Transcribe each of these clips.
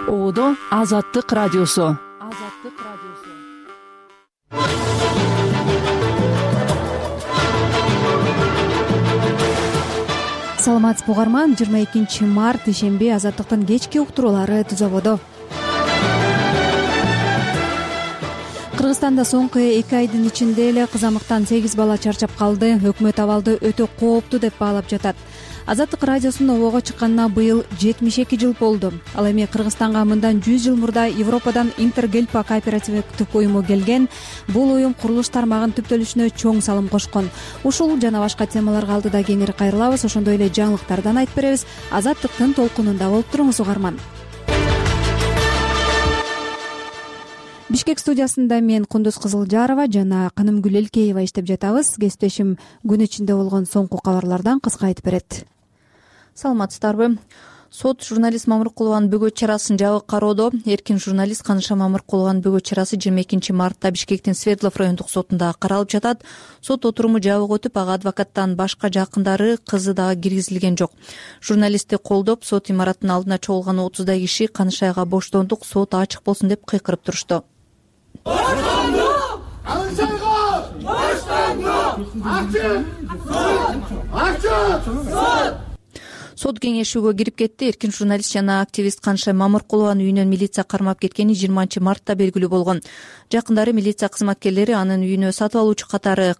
Оодо Азаттык радиосу. Саламатсызбы угарман, 22 март ишемби Азаттыктын кечки уктуруулары түз абоду. Кыргызстанда соңку 2 айдын ичинде эле кызамыктан 8 бала чарчап калды. Өкмөт абалды өтө кооптуу деп баалап жатат. Азаттык радиосунун ого чыкканына быйыл 72 жыл болду. Ал эми Кыргызстанга мындан 100 жыл мурда Европадан Интергельпа кооперативдик уюму келген. Бул уюм курулуш тармагынын түптөлүшүнө чоң салым кошкон. Ушул жана башка темаларга алдыда кеңири кайрылабыз. Ошондой эле жаңылыктардан айтып беребиз. Азаттыктын толкунунда болуп туруңуз угарман. Бишкек студиясында мен Кундуз Кызылжарова жана Канымгүл Элкеева иштеп жатабыз. Кесиптешим күн ичинде болгон соңку кабарлардан кыска айтып берет. Саламатсыздарбы? Сот журналист Мамыркулованын бөгөт чарасын жабык кароодо. Эркин журналист Каныша Мамыркулованын бөгөт чарасы 22 мартта Бишкектин Свердлов райондук сотунда каралып жатат. Сот отуруму жабык өтүп, ага адвокаттан башка жакындары, кызы дагы киргизилген жок. Журналистти колдоп, сот имаратынын алдына чогулган 30 киши Канышайга боштондук, сот ачык болсун деп кыйкырып турушту. Сот кеңешүүгө кирип кетти. Эркин журналист жана активист Канышай Мамыркулованын үйүнөн милиция кармап кеткени 20 мартта белгилүү болгон. Жакындары милиция кызматкерлери анын үйүнө сатып алуучу катары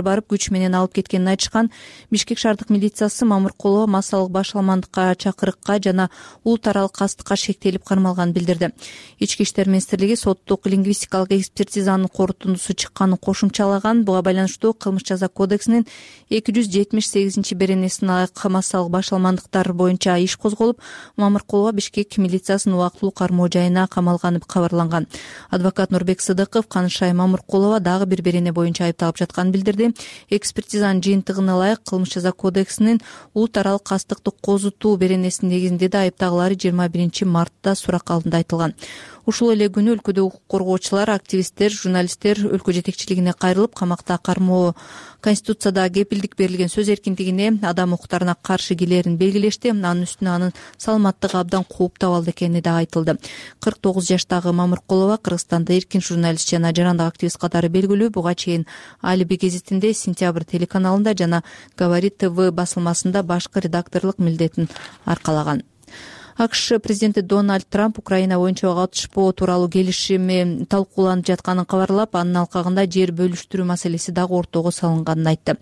барып күч менен алып кеткенин айтышкан. Бишкек шаардык милициясы Мамыркулова массалык башаламандыкка, чакырыкка жана улут аралык кастыкка шектелип кармалганын билдирди. Ички иштер министрлиги соттук лингвистикалык экспертизанын корутундусу чыкканын кошумчалаган. Буга байланыштуу Кылмыш жаза кодексинин 278-беренесине ылайык массалык башаламандыктар боюнча иш козголуп, Мамыркулова Бишкек милициясынын убактылуу кармоо жайына камалганы кабарланган. Адвокат Нурбек Сыдыков Канышай Мамыркулова дагы бир берене боюнча айыпталып жатканын билдирди. Экспертизанын жыйынтыгына ылайык Кылмыш жаза кодексинин улут аралык кастыкты козутуу беренесинин негизинде да айыптагылары 21 мартта сурак алдында айтылган. Ушул эле күнү өлкөдө укук коргоочулар, активисттер, журналисттер өлкө жетекчилигине кайрылып, камакта кармоо Конституцияда кепилдик берилген сөз эркиндигине, адам укуктарына каршы келерин белгилешти. Анын үстүнө анын саламаттыгы абдан кооптуу абалда экени да айтылды. 49 жаштагы Мамыркулова Кыргызстанда эркин журналист жана жарандык активист катары белгилүү. Буга чейин Алиби гезитинде, Сентябрь телеканалында жана Говорит ТВ басылмасында башкы редакторлук милдетин аркалаган. АКШ президенти Дональд Трамп Украина боюнча ага атышпоо тууралуу келишими талкууланып жатканын кабарлап, анын алкагында жер бөлүштүрүү маселеси дагы ортого салынганын айтты.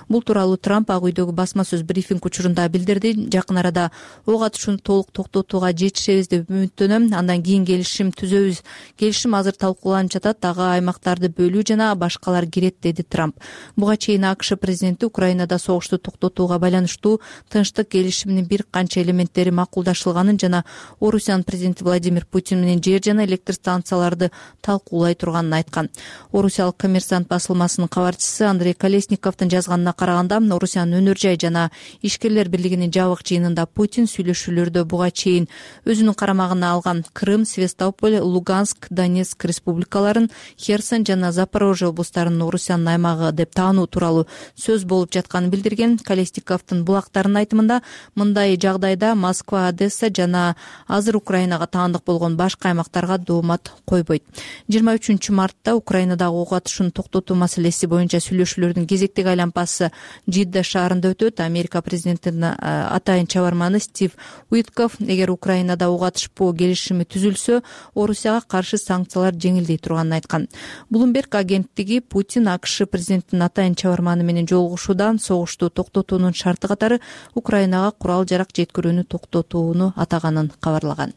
Бул тууралуу Трамп Ак үйдөгү басма сөз брифинг учурунда билдирди. Жакын арада ок атышууну толук токтотууга жетишебиз деп үмүттөнөм. Андан кийин келишим түзөбүз. Келишим азыр талкууланып жатат, дагы аймактарды бөлүү жана башкалар кирет, деди Трамп. Буга чейин АКШ президенти Украинада согушту токтотууга байланыштуу тынчтык келишиминин бир канча элементтери макулдашылганын жана Орусиянын президенти Владимир Путин менен жер жана электр станцияларды талкуулай турганын айткан. Орусиялык Коммерсант басылмасынын кабарчысы Андрей Колесниковдун жазганына караганда, Орусиянын өнөр жай жана ишкерлер бирлигинин жабык жыйынында Путин сүйлөшүүлөрдө буга чейин өзүнүн карамагына алган Крым, Севастополь, Луганск, Донецк республикаларын, Херсон жана Запорожье облустарын Орусиянын аймагы деп таануу тууралуу сөз болуп жатканын билдирген. Колесниковдун булактарынын айтымында, мындай жагдайда Москва, Одесса жана азыр Украинага таандык болгон башка аймактарга доомат койбойт. 23 мартта Украинадагы ок атышууну токтотуу маселеси боюнча сүйлөшүүлөрдүн кезектеги айланпасы Жидда шаарында өтөт. Америка президентинин атайын чабарманы Стив Уитков эгер Украинада ок атышпоо келишими түзүлсө, Орусияга каршы санкциялар жеңилдей турганын айткан. Bloomberg агенттиги Путин АКШ президентинин атайын чабарманы менен жолугушуудан согушту токтотуунун шарты катары Украинага курал жарак жеткирүүнү токтотууну атаганын кабарлаган.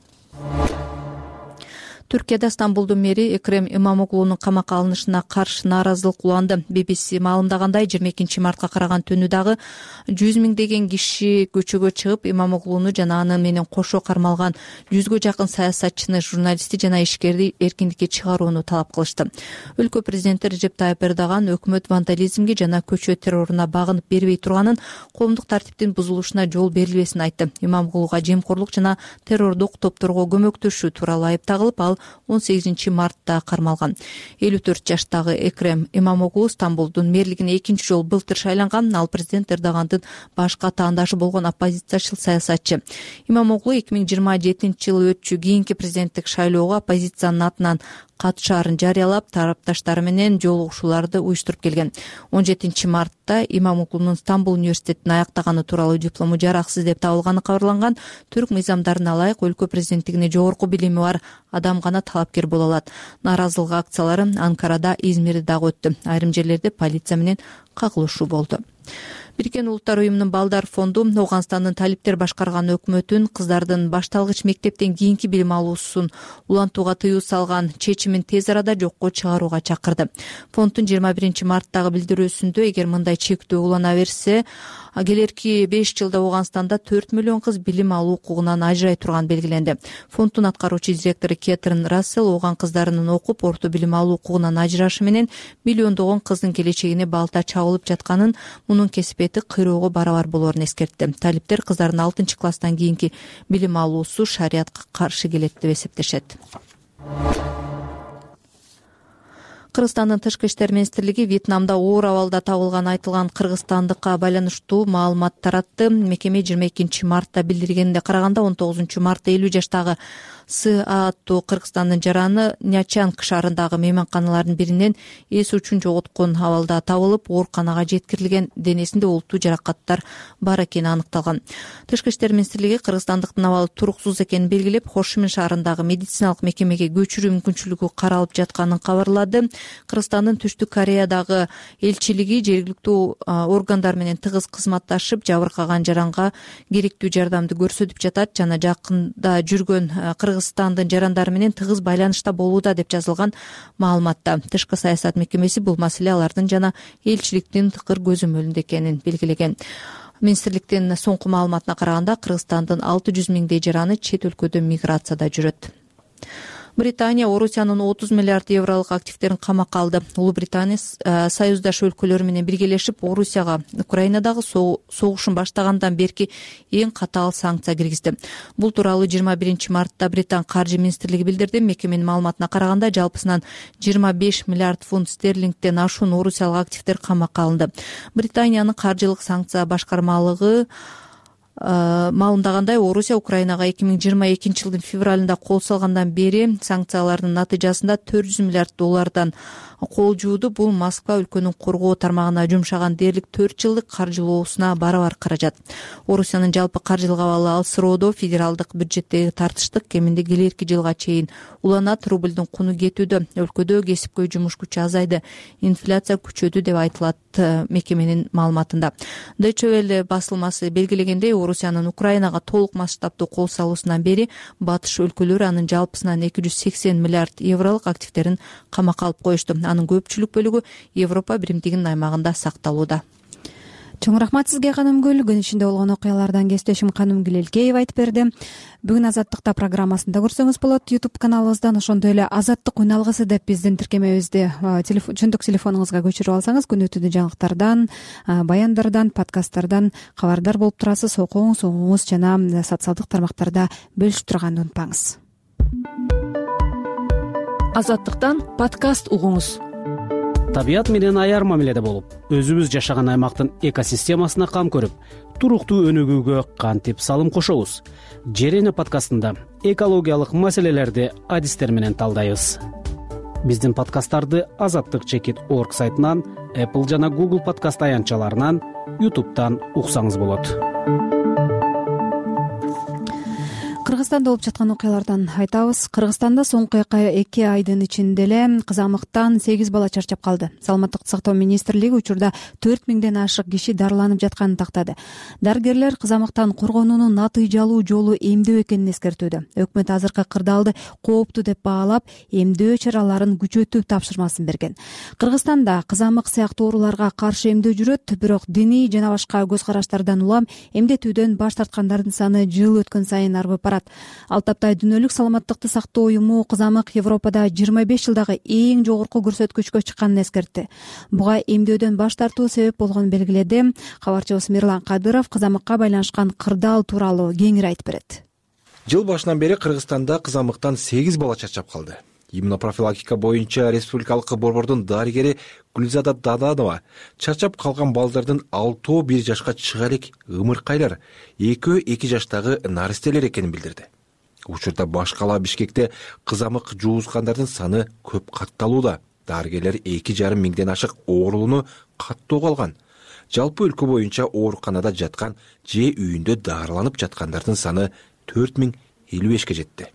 Түркияда Стамбулдун мэри Экрем Имамоглунун камакка алынышына каршы нааразылык уланды. BBC маалымдагандай, 22 мартка караган түнү дагы 100 миңдеген киши көчөгө чыгып, Имамоглуну жана аны менен кошо кармалган 100гө жакын саясатчыны, журналистти жана ишкерди эркиндикке чыгарууну талап кылышты. Өлкө президенти Режеп Тайып Эрдоган өкмөт вандализмге жана көчө терроруна багынып бербей турганын, коомдук тартиптин бузулушуна жол берилбесин айтты. Имамоглуга жемкорлук жана террордук топторго көмөктөшүү тууралуу айып тагылып, ал 18 мартта кармалган. 54 жаштагы Экрем Имамоглу Стамбулдун мэрлигине экинчи жолу былтыр шайланган. Ал президент Эрдогандын башка таандашы болгон оппозициячыл саясатчы. Имамоглу 2027 жылы өтчү кийинки президенттик шайлоого оппозициянын атынан катышаарын жарыялап, тарапташтары менен жолугушууларды уюштуруп келген. 17 мартта Имамоглунун Стамбул университетин аяктаганы тууралуу диплому жараксыз деп табылганы кабарланган. Түрк мыйзамдарына ылайык өлкө президенттигине жогорку билими бар адам гана талапкер боло алат. Нааразылык акциялары Анкарада, Измирде дагы өттү. Айрым жерлерде полиция менен кагылышуу болду. Бириккен Улуттар уюмунун Балдар фонду Ооганстандын талиптер башкарган өкмөтүн кыздардын башталгыч мектептен кийинки билим алуусун улантууга тыюу салган чечимин тез арада жокко чыгарууга чакырды. Фонддун 21 марттагы билдирүүсүндө эгер мындай чектөө улана берсе, келерки 5 жылда Ооганстанда 4 миллион кыз билим алуу укугунан ажырай турган белгиленди. Фонддун аткаруучу директору Кетрин Рассел ооган кыздарынын окуп, орто билим алуу укугунан ажырашы менен миллиондогон кыздын келечегине балта чабылып жатканын, мунун кесипети кыйроого барабар болоорун эскертти. Талиптер кыздардын 6-класстан кийинки билим алуусу шариятка каршы келет деп эсептешет. Кыргызстандын тышкы иштер министрлиги Вьетнамда оор абалда табылган айтылган кыргызстандыкка байланыштуу маалымат таратты. Мекеме 22 мартта билдиргенине караганда 19 мартта 50 жаштагы С.А. аттуу Кыргызстандын жараны Нячанг шаарындагы мейманканалардын биринен эс үчүн жоготкон абалда табылып, ооруканага жеткирилген. Денесинде олуттуу жаракаттар бар экени аныкталган. Тышкы иштер министрлиги кыргызстандыктын абалы туруксуз экенин белгилеп, Хошимин шаарындагы медициналык мекемеге көчүрүү мүмкүнчүлүгү каралып жатканын кабарлады. Кыргызстандын Түштүк Кореядагы элчилиги жергиликтүү органдар менен тыгыз кызматташып, жабыркаган жаранга керектүү жардамды көрсөтүп жатат жана жакында жүргөн Кыргызстандын жарандары менен тыгыз байланышта болууда деп жазылган маалыматта. Тышкы саясат мекемеси бул маселе алардын жана элчиликтин тыкыр көзөмөлүндө экенин белгилеген. Министрликтин соңку маалыматына караганда Кыргызстандын 600 миңдей жараны чет өлкөдө миграцияда жүрөт. Британия Орусиянын 30 миллиард евролук активдерин камакка алды. Улуу Британия союздаш өлкөлөр менен биргелешип Орусияга Украинадагы согушун баштагандан берки эң катаал санкция киргизди. Бул тууралуу 21 мартта Британ каржы министрлиги билдирди. Мекеменин маалыматына караганда жалпысынан 25 миллиард фунт стерлингден ашуун орусиялык активдер камакка алынды. Британиянын каржылык санкция башкармалыгы маалымдагандай, Орусия Украинага 2022 жылдын февралында кол салгандан бери санкциялардын натыйжасында 400 миллиард доллардан кол жууду. Бул Москва өлкөнүн коргоо тармагына жумшаган дээрлик 4 жылдык каржылоосуна барабар каражат. Орусиянын жалпы каржылык абалы алсыроодо федералдык бюджеттеги тартыштык кеминде келерки жылга чейин уланат. Рублдун куну кетүүдө, өлкөдө кесипкөй жумуш күчү азайды, инфляция күчөдү деп айтылат мекеменин маалыматында. Deutsche Welle басылмасы белгилегендей, Орусиянын Украинага толук масштабдуу кол салуусунан бери батыш өлкөлөрү анын жалпысынан 280 миллиард евролук активдерин камакка алып коюшту. Анын көпчүлүк бөлүгү Европа биримдигинин аймагында сакталууда. Чоң рахмат сизге, Канымгүл. Күн ичинде болгон окуялардан кесиптешим Канымгүл Элкеева айтып берди. Бүгүн Азаттыкта программасында көрсөңүз болот. YouTube каналыбыздан, ошондой эле Азаттык үн алгысы деп биздин тиркемебизди чөндүк телефонуңузга көчүрүп алсаңыз, күнү түнү жаңылыктардан, баяндардан, подкасттардан кабардар болуп турасыз. Окуңуз жана социалдык тармактарда бөлүшүп турганды унутпаңыз. Азаттыктан подкаст угуңуз. Табият менен аяр мамиледе болуп, өзүбүз жашаган аймактын экосистемасына кам көрүп, туруктуу өнүгүүгө кантип салым кошобуз? Жерене подкастында экологиялык маселелерди адистер менен талдайбыз. Биздин подкасттарды azattyk.org сайтынан, Apple жана Google подкаст аянтчаларынан, YouTube'дан уксаңыз болот. Кыргызстанда болуп жаткан окуялардан айтабыз. Кыргызстанда соңку 2 айдын ичинде эле кызамыктан 8 бала чарчап калды. Саламаттыкты сактоо министрлиги учурда 4000ден ашык киши дарыланып жатканын тактады. Дарыгерлер кызамыктан коргонуунун натыйжалуу жолу эмдөө экенин эскертүүдө. Өкмөт азыркы кырдаалды кооптуу деп баалап, эмдөө чараларын күчөтүү тапшырмасын берген. Кыргызстанда кызамык сыяктуу ооруларга каршы эмдөө жүрөт, бирок диний жана башка көз караштардан улам эмдетүүдөн баш тарткандардын саны жыл өткөн сайын арбып барат. Ал таптай Дүйнөлүк саламаттыкты сактоо уюму кызамык Европада 25 жылдагы эң жогорку көрсөткүчкө чыкканын эскертти. Буга эмдөөдөн баш тартуу себеп болгонун белгиледи. Кабарчыбыз Мирлан Кадыров кызамыкка байланышкан кырдаал тууралуу кеңири айтып берет. Жыл башынан бери Кыргызстанда кызамыктан 8 бала чарчап калды. Иммунопрофилактика боюнча республикалык борбордун дарыгери Гүлзада Даданова чарчап калган балдардын 6-өө 1 жашка чыга элек ымыркайлар, 2-өө 2 жаштагы наристелер экенин билдирди. Учурда баш кала Бишкекте кызамык жуузгандардын саны көп катталууда. Дарыгерлер 2,5 миңден ашык оорулууну каттоого алган. Жалпы өлкө боюнча ооруканада жаткан же үйүндө дарыланып жаткандардын саны 4055ке жетти.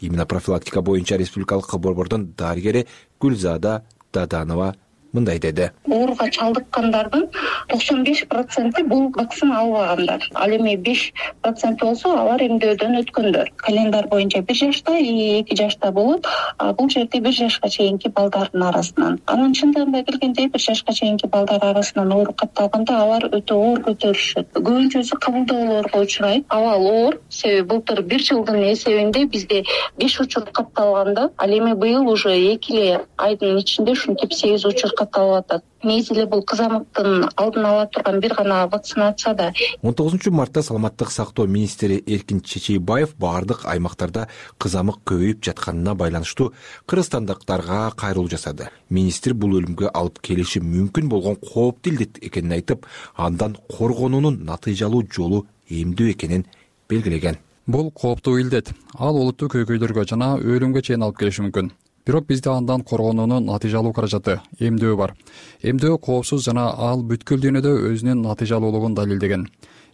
Иммунопрофилактика боюнча республикалык борбордун дарыгери Гүлзада Даданова мындай деди. Ооруга чалдыккандардын 95% бул вакцина албагандар. Ал эми 5% болсо алар эмдөөдөн өткөндөр. Календар боюнча 1 жашта и 2 жашта болуп, бул жерде 1 жашка чейинки балдардын арасынан. Анын чындыгында келгенде 1 жашка чейинки балдар арасынан оору катталганда алар өтө оор көтөрүшөт. Көбүнчөсү кабылдоолорго учурайт. Абал оор, себеби былтыр 1 жылдын эсебинде бизде 5 учур катталганда, ал эми быйыл уже 2 айдын ичинде ушинтип 8 учур катталып атат. Мезгили бул кызамыктын алдын ала турган бир гана вакцинация да. 19 мартта саламаттык сактоо министри Эркин Чечейбаев бардык аймактарда кызамык көбөйүп жатканына байланыштуу кыргызстандыктарга кайрылуу жасады. Министр бул өлүмгө алып келиши мүмкүн болгон кооптуу илдет экенин айтып, андан коргонуунун натыйжалуу жолу эмдөө экенин белгилеген. Бул кооптуу илдет ал олуттуу көйгөйлөргө жана өлүмгө чейин алып келиши мүмкүн. Бирок бизде андан коргонуунун натыйжалуу каражаты эмдөө бар. Эмдөө коопсуз жана ал бүткүл дүйнөдө өзүнүн натыйжалуулугун далилдеген.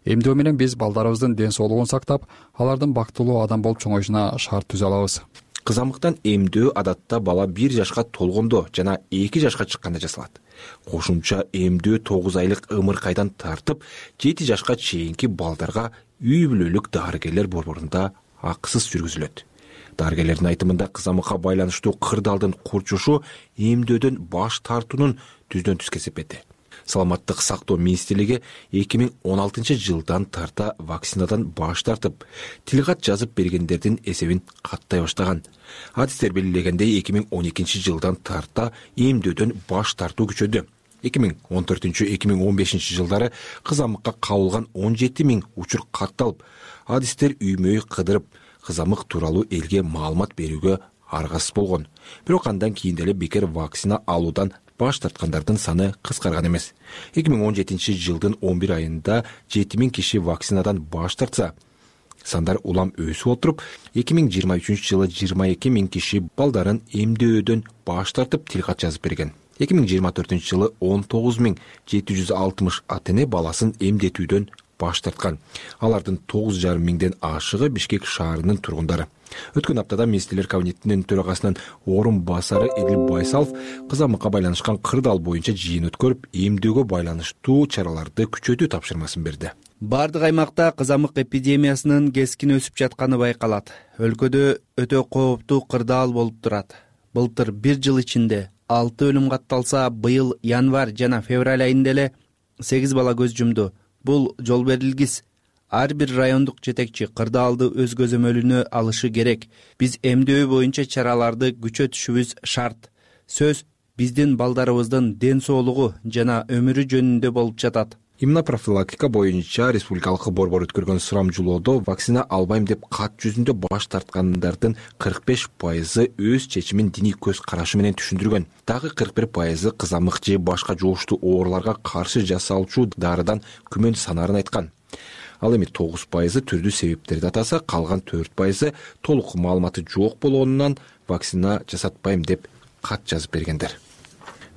Эмдөө менен биз балдарыбыздын ден соолугун сактап, алардын бактылуу адам болуп чоңоюшуна шарт түзө алабыз. Кызамыктан эмдөө адатта бала 1 жашка толгондо жана 2 жашка чыкканда жасалат. Кошумча эмдөө 9 айлык ымыркайдан тартып 7 жашка чейинки балдарга үй бүлөлүк дарыгерлер борборунда акысыз жүргүзүлөт. Дарыгерлердин айтымында кызамыкка байланыштуу кырдаалдын курчушу эмдөөдөн баш тартуунун түздөн түз кесепети. Саламаттык сактоо министрлиги 2016 жылдан тарта вакцинадан баш тартып, тилкат жазып бергендердин эсебин каттай баштаган. Адистер белгилегендей 2012 жылдан тарта эмдөөдөн баш тартуу күчөдү. 2014-2015 жылдары кызамыкка кабылган 17 миң учур катталып, адистер үймөй кыдырып кызамык тууралуу элге маалымат берүүгө аргасыз болгон. Бирок андан кийин деле бекер вакцина алуудан баш тарткандардын саны кыскарган эмес. 2017 жылдын 11 айында 7000 киши вакцинадан баш тартса, сандар улам өсүп отуруп, 2023 жылы 22 миң киши балдарын эмдөөдөн баш тартып тилкат жазып берген. 2024 жылы 19.760 ата-эне баласын эмдетүүдөн баш тарткан. Алардын 9,5 миңден ашыгы Бишкек шаарынын тургундары. Өткөн аптада министрлер кабинетинин төрагасынын орун басары Эдил Байсалов кызамыкка байланышкан кырдаал боюнча жыйын өткөрүп, эмдөөгө байланыштуу чараларды күчөтүү тапшырмасын берди. Бардык аймакта кызамык эпидемиясынын кескин өсүп жатканы байкалат. Өлкөдө өтө кооптуу кырдаал болуп турат. Былтыр 1 жыл ичинде 6 өлүм катталса, быйыл январь жана февраль айында эле 8 бала көз жумду. Бул жол берилгис. Ар бир райондук жетекчи кырдаалды өз көзөмөлүнө алышы керек. Биз эмдөө боюнча чараларды күчөтүшүбүз шарт. Сөз биздин балдарыбыздын ден соолугу жана өмүрү жөнүндө болуп жатат. Иммунопрофилактика боюнча республикалык борбор өткөргөн сурамжылоодо вакцина албайм деп кат жүзүндө баш тарткандардын 45% өз чечимин диний көз карашы менен түшүндүргөн. Дагы 41% кызамык же башка жугуштуу ооруларга каршы жасалчу дарыдан күмөн санаарын айткан. Ал эми 9% түрдүү себептерди атаса, калган 4% толук маалыматы жок болгонунан вакцина жасатпайм деп кат жазып бергендер.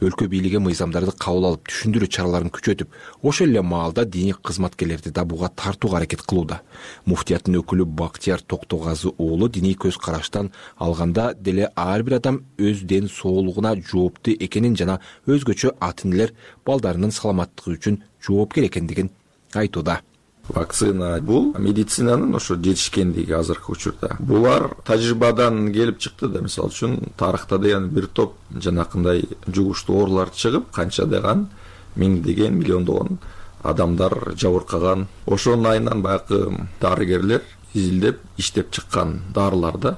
Өлкө бийлиги мыйзамдарды кабыл алып, түшүндүрүү чараларын күчөтүп, ошол эле маалда диний кызматкерлерди да буга тартууга аракет кылууда. Муфтияттын өкүлү Бактияр Токтогазы уулу диний көз караштан алганда деле ар бир адам өз ден соолугуна жооптуу экенин жана өзгөчө ата-энелер балдарынын саламаттыгы үчүн жоопкер экендигин айтууда. Вакцина бул медицинанын ошо жетишкендиги азыркы учурда. Булар тажрыйбадан келип чыкты да, мисалы үчүн тарыхта деген бир топ жанакындай жугуштуу оорулар чыгып, канча деган миңдеген, миллиондогон адамдар жабыркаган. Ошонун айынан баягы дарыгерлер изилдеп, иштеп чыккан дарыларда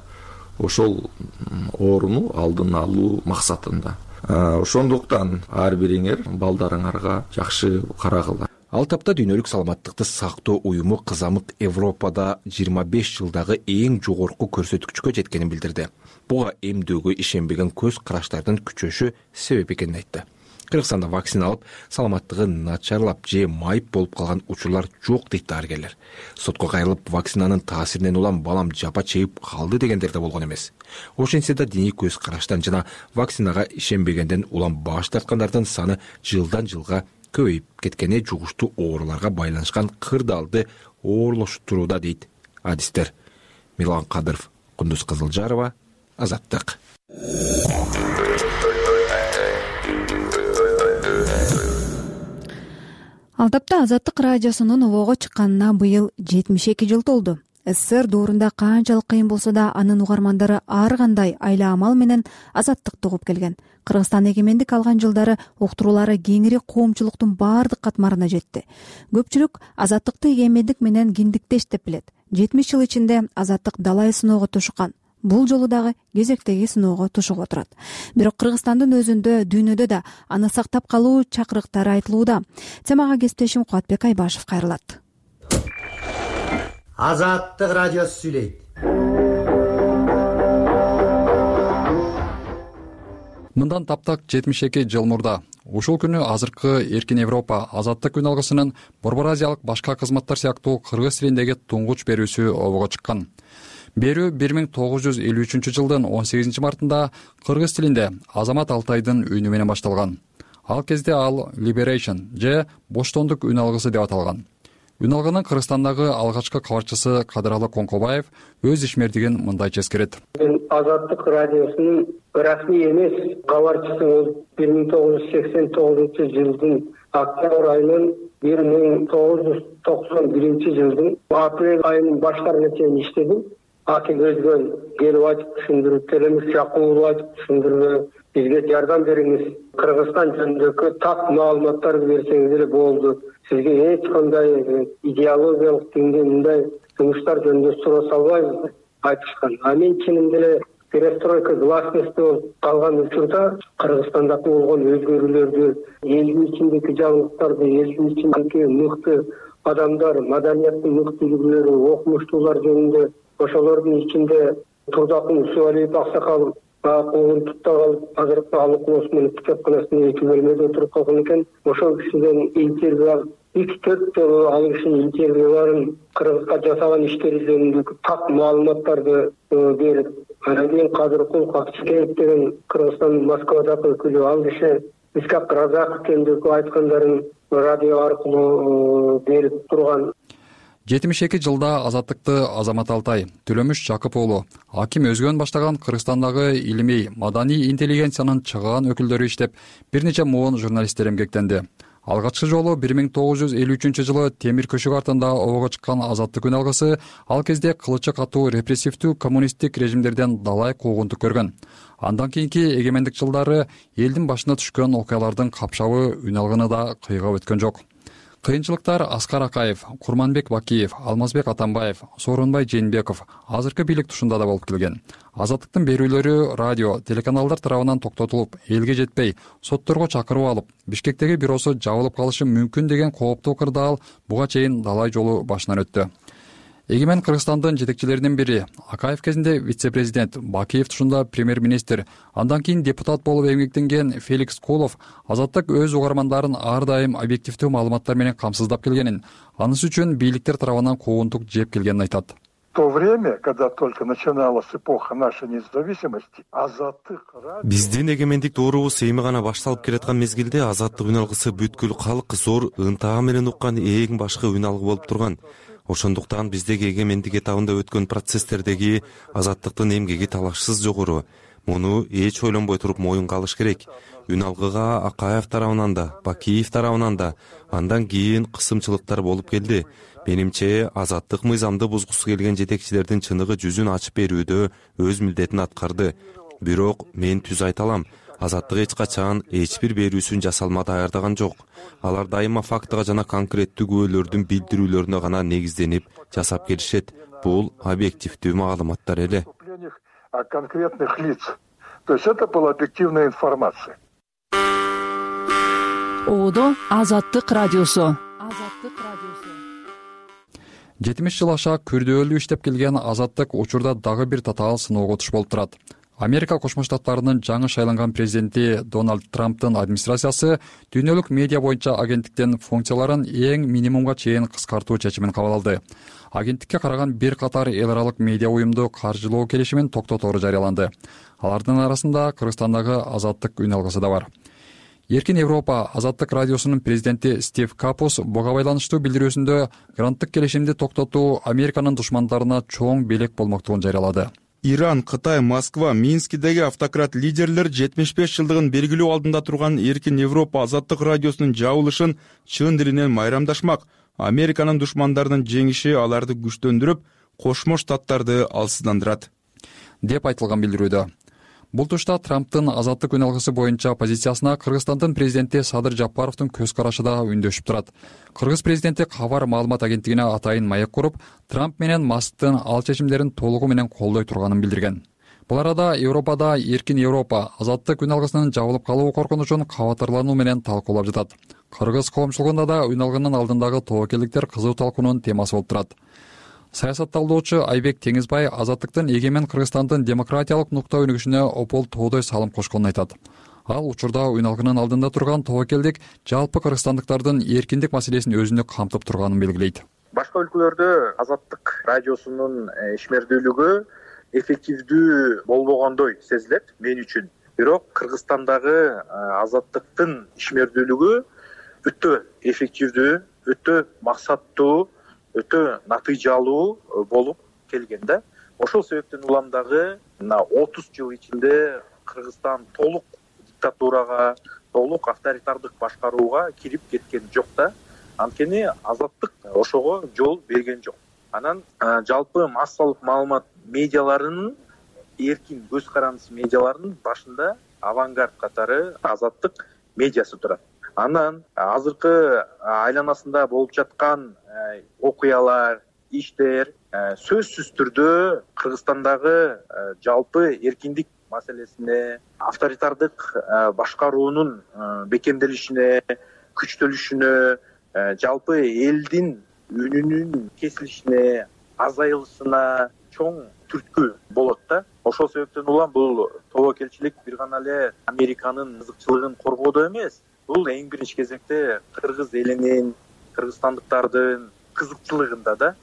ошол ооруну алдын алуу максатында. Ошондуктан ар бириңер балдарыңарга жакшы карагыла. Ал тапта дүйнөлүк саламаттыкты сактоо уюму кызамык Европада 25 жылдагы эң жогорку көрсөткүчкө жеткенин билдирди. Буга эмдөөгө ишенбеген көз караштардын күчөшү себеп экенин айтты. Кыргызстанда вакцина алып, саламаттыгы начарлап же майып болуп калган учурлар жок дейт дарыгерлер. Сотко кайрылып, вакцинанын таасиринен улам балам жапа чегип калды дегендер да болгон эмес. Ошентсе да диний көз караштан жана вакцинага ишенбегенден улам баш тарткандардын саны жылдан жылга көбөйүп кеткени жугуштуу ооруларга байланышкан кырдаалды оорлоштурууда дейт адистер. Милан Кадыров, Кундуз Кызылжарова, Азаттык. Ал тапта Азаттык радиосунун обого чыкканына быйыл 72 жыл толду. СССР доорунда канчалык кыйын болсо да анын угармандары ар кандай айла амал менен азаттыкты угуп келген. Кыргызстан эгемендик алган жылдары уктуруулары кеңири коомчулуктун баардык катмарына жетти. Көпчүлүк азаттыкты эгемендик менен кимдиктеш деп билет. 70 жыл ичинде азаттык далай сыноого тушуккан. Бул жолу дагы кезектеги сыноого тушуп отурат. Бирок Кыргызстандын өзүндө, дүйнөдө да аны сактап калуу чакырыктары айтылууда. Темага кесиптешим Кубатбек Айбашев кайрылат. Азаттык радиосу сүйлөйт. Мындан таптак 72 жыл мурда ушул күнү азыркы Эркин Европа азаттык күн алгысынын Борбор Азиялык башка кызматтар сыяктуу кыргыз тилиндеги туңгуч берүүсү обого чыккан. Берүү 1953 жылдын 18 мартында кыргыз тилинде Азамат Алтайдын үнү менен башталган. Ал кезде ал Liberation же боштондук үн алгысы деп аталган. Үн алгынын Кыргызстандагы алгачкы кабарчысы Кадыралы Коңкобаев өз ишмердигин мындайча эскерет. Мен Азаттык радиосунун расмий эмес кабарчысы болуп 1989 жылдын октябрь айынан 1991 жылдын апрель айынын баштарына чейин иштедим. Аты көзгөн келип айтып түшүндүрүп, телемиш жакуулуу айтып түшүндүрүп, бизге жардам бериңиз, Кыргызстан жөнүндөгү так маалыматтарды берсеңиз эле болду. Сизге эч кандай идеологиялык деңгээлде мындай жумуштар жөнүндө суроо салбайбыз деп айтышкан. Мен чынында эле перестройка гласности болуп калган учурда Кыргызстандагы болгон өзгөрүүлөрдү, элдин ичиндеги жаңылыктарды, элдин ичиндеги мыкты адамдар, маданияттын мыкты үлгүлөрү, окумуштуулар жөнүндө ошолордун ичинде Турдакын Усуалиев аксакал куугун тутта калып, азыркы Алык Осмонов китепканасында 2 бөлмөдө отуруп калган экен. Ошол кишиден интервью алып, 2-4 жолу ал кишинин интервьюларын Кыргызга жасаган иштери жөнүндө так маалыматтарды берип, анан кийин Кадыркул Какчыкеев деген Кыргызстандын Москвадагы өкүлү, ал киши Исхак Разаков жөнүндө айткандарын радио аркылуу берип турган. 72 жылда азаттыкты Азамат Алтай, Төлөмүш Жакып уулу, Аким Өзгөн баштаган Кыргызстандагы илимий, маданий интеллигенциянын чыган өкүлдөрү иштеп, бир нече муун журналисттер эмгектенди. Алгачкы жолу 1953 жылы темир көшүк артында обого чыккан азаттык күн алгысы ал кезде кылычы катуу репрессивдүү коммунисттик режимдерден далай куугунтук көргөн. Андан кийинки эгемендик жылдары элдин башына түшкөн окуялардын капшабы үн алгыны да кыйгап өткөн жок. Кыйынчылыктар Аскар Акаев, Курманбек Бакиев, Алмазбек Атамбаев, Сооронбай Жээнбеков азыркы бийлик тушунда да болуп келген. Азаттыктын берүүлөрү радио, телеканалдар тарабынан токтотулуп, элге жетпей, сотторго чакырып алып, Бишкектеги бюросу жабылып калышы мүмкүн деген кооптуу кырдаал буга чейин далай жолу башынан өттү. Эгемен Кыргызстандын жетекчилеринин бири, Акаев кезинде вице-президент, Бакиев тушунда премьер-министр, андан кийин депутат болуп эмгектенген Феликс Кулов азаттык өз угармандарын ар дайым объективдүү маалыматтар менен камсыздап келгенин, анысы үчүн бийликтер тарабынан куугунтук жеп келгенин айтат. В то время, когда только начиналась эпоха нашей независимости, азаттык биздин эгемендик доорубуз эми гана башталып келаткан мезгилде азаттык үн алгысы бүткүл калк зор ынтаа менен уккан эң башкы үн алгы болуп турган. Ошондуктан биздеги эгемендик этабында өткөн процесстердеги азаттыктын эмгеги талашсыз жогору. Муну эч ойлонбой туруп моюнга алыш керек. Үн алгыга Акаев тарабынан да, Бакиев тарабынан да андан кийин кысымчылыктар болуп келди. Менимче азаттык мыйзамды бузгусу келген жетекчилердин чыныгы жүзүн ачып берүүдө өз милдетин аткарды. Бирок мен түз айта алам, азаттык эч качан эч бир берүүсүн жасалма даярдаган жок. Алар дайыма фактыга жана конкреттүү күбөлөрдүн билдирүүлөрүнө гана негизденип жасап келишет. Бул объективдүү маалыматтар эле. Конкретных лиц. То есть это была объективная информация. Одо Азаттык радиосу. Азаттык радиосу. 70 жыл аша күрдөөлүү иштеп келген Азаттык учурда дагы бир татаал сыноого туш болуп турат. Америка Кошмо Штаттарынын жаңы шайланган президенти Дональд Трамптын администрациясы дүйнөлүк медиа боюнча агенттиктин функцияларын эң минимумга чейин кыскартуу чечимин кабыл алды. Агенттикке караган бир катар эл аралык медиа уюмду каржылоо келишимин токтотору жарыяланды. Алардын арасында Кыргызстандагы Азаттык үн алгысы да бар. Эркин Европа Азаттык радиосунун президенти Стив Капус буга байланыштуу билдирүүсүндө гранттык келишимди токтотуу Американын душмандарына чоң белек болмоктугун жарыялады. Иран, Кытай, Москва, Минскидеги автократ лидерлер 75 жылдыгын белгилөө алдында турган Эркин Европа Азаттык радиосунун жабылышын чын дилинен майрамдашмак. Американын душмандарынын жеңиши аларды күчтөндүрүп, Кошмо Штаттарды алсыздандырат деп айтылган билдирүүдө. Бул тушта Трамптын Азаттык үн алгысы боюнча позициясына Кыргызстандын президенти Садыр Жапаровдун көз карашы да үндөшүп турат. Кыргыз президенти Кабар маалымат агенттигине атайын маек куруп, Трамп менен Масктын ал чечимдерин толугу менен колдой турганын билдирген. Бул арада Европада Эркин Европа Азаттык үн алгысынын жабылып калуу коркунучун кабатырлануу менен талкуулап жатат. Кыргыз коомчулугунда да үн алгынын алдындагы тобокелдиктер кызуу талкуунун темасы болуп турат. Саясатталдоочу Айбек Теңизбай Азаттыктын эгемен Кыргызстандын демократиялык нукта өнүгүшүнө опол тоодой салым кошконун айтат. Ал учурда үн алгынын алдында турган тобокелдик жалпы кыргызстандыктардын эркиндик маселесин өзүндө камтып турганын белгилейт. Башка өлкөлөрдө Азаттык радиосунун ишмердүүлүгү эффективдүү болбогондой сезилет мен үчүн. Бирок Кыргызстандагы Азаттыктын ишмердүүлүгү өтө эффективдүү, өтө максаттуу, өтө натыйжалуу болуп келген да. Ошол себептен улам дагы 30 жыл ичинде Кыргызстан толук диктатурага, толук авторитардык башкарууга кирип кеткен жок да. Анткени Азаттык ошого жол берген жок. Анан жалпы массалык маалымат медиаларынын, эркин көз карандысы медиаларынын башында авангард катары Азаттык медиасы турат. Анан азыркы айланасында болуп жаткан окуялар, иштер сөзсүз түрдө Кыргызстандагы жалпы эркиндик маселесине, авторитардык башкаруунун бекемделишине, күчтөлүшүнө, жалпы элдин үнүнүн кесилишине, азайылышына чоң түрткү болот да. Ошол себептен улам бул тобокелчилик бир гана эле Американын кызыкчылыгын коргоодо эмес, бул эң биринчи кезекте кыргыз элинин, кыргызстандыктардын кызыкчылыгында да.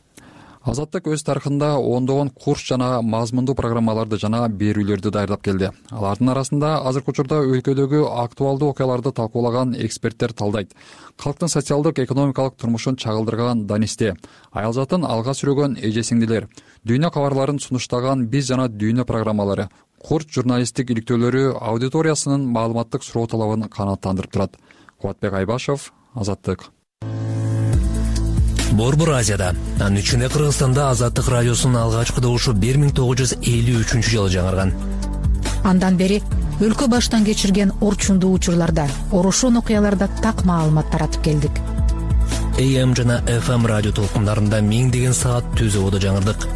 Азаттык өз тарыхында ондогон курс жана мазмундуу программаларды жана берүүлөрдү даярдап келди. Алардын арасында азыркы учурда өлкөдөгү актуалдуу окуяларды талкуулаган эксперттер талдайт. Калктын социалдык экономикалык турмушун чагылдырган Данисте, аялзатын алга сүрөгөн эже-сиңдилер, дүйнө кабарларын сунуштаган Биз жана дүйнө программалары, курч журналисттик иликтөөлөрү аудиториясынын маалыматтык суроо талабын канааттандырып турат. Кубатбек Айбашев, Азаттык. Борбор Азияда, анын ичинде Кыргызстанда Азаттык радиосунун алгачкы добушу 1953-жылы жаңырган. Андан бери өлкө баштан кечирген орчундуу учурларда, орошон окуяларда так маалымат таратып келдик. AM жана FM радио толкундарында миңдеген саат түз абада жаңырдык.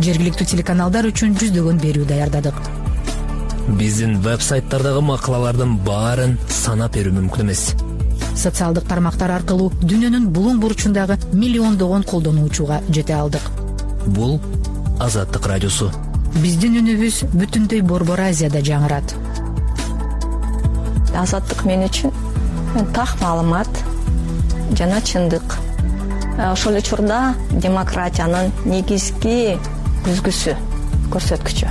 Жергиликтүү телеканалдар үчүн жүздөгөн берүү даярдадык. Биздин веб-сайттардагы макалалардын баарын санап берүү мүмкүн эмес. Социалдык тармактар аркылуу дүйнөнүн булуң бурчундагы миллиондогон колдонуучуга жете алдык. Бул Азаттык радиосу. Биздин үнүбүз бүтүндөй Борбор Азияда жаңырат. Азаттык мен үчүн так маалымат жана чындык. Ошол учурда демократиянын негизги көзгүсү, көрсөткүчү.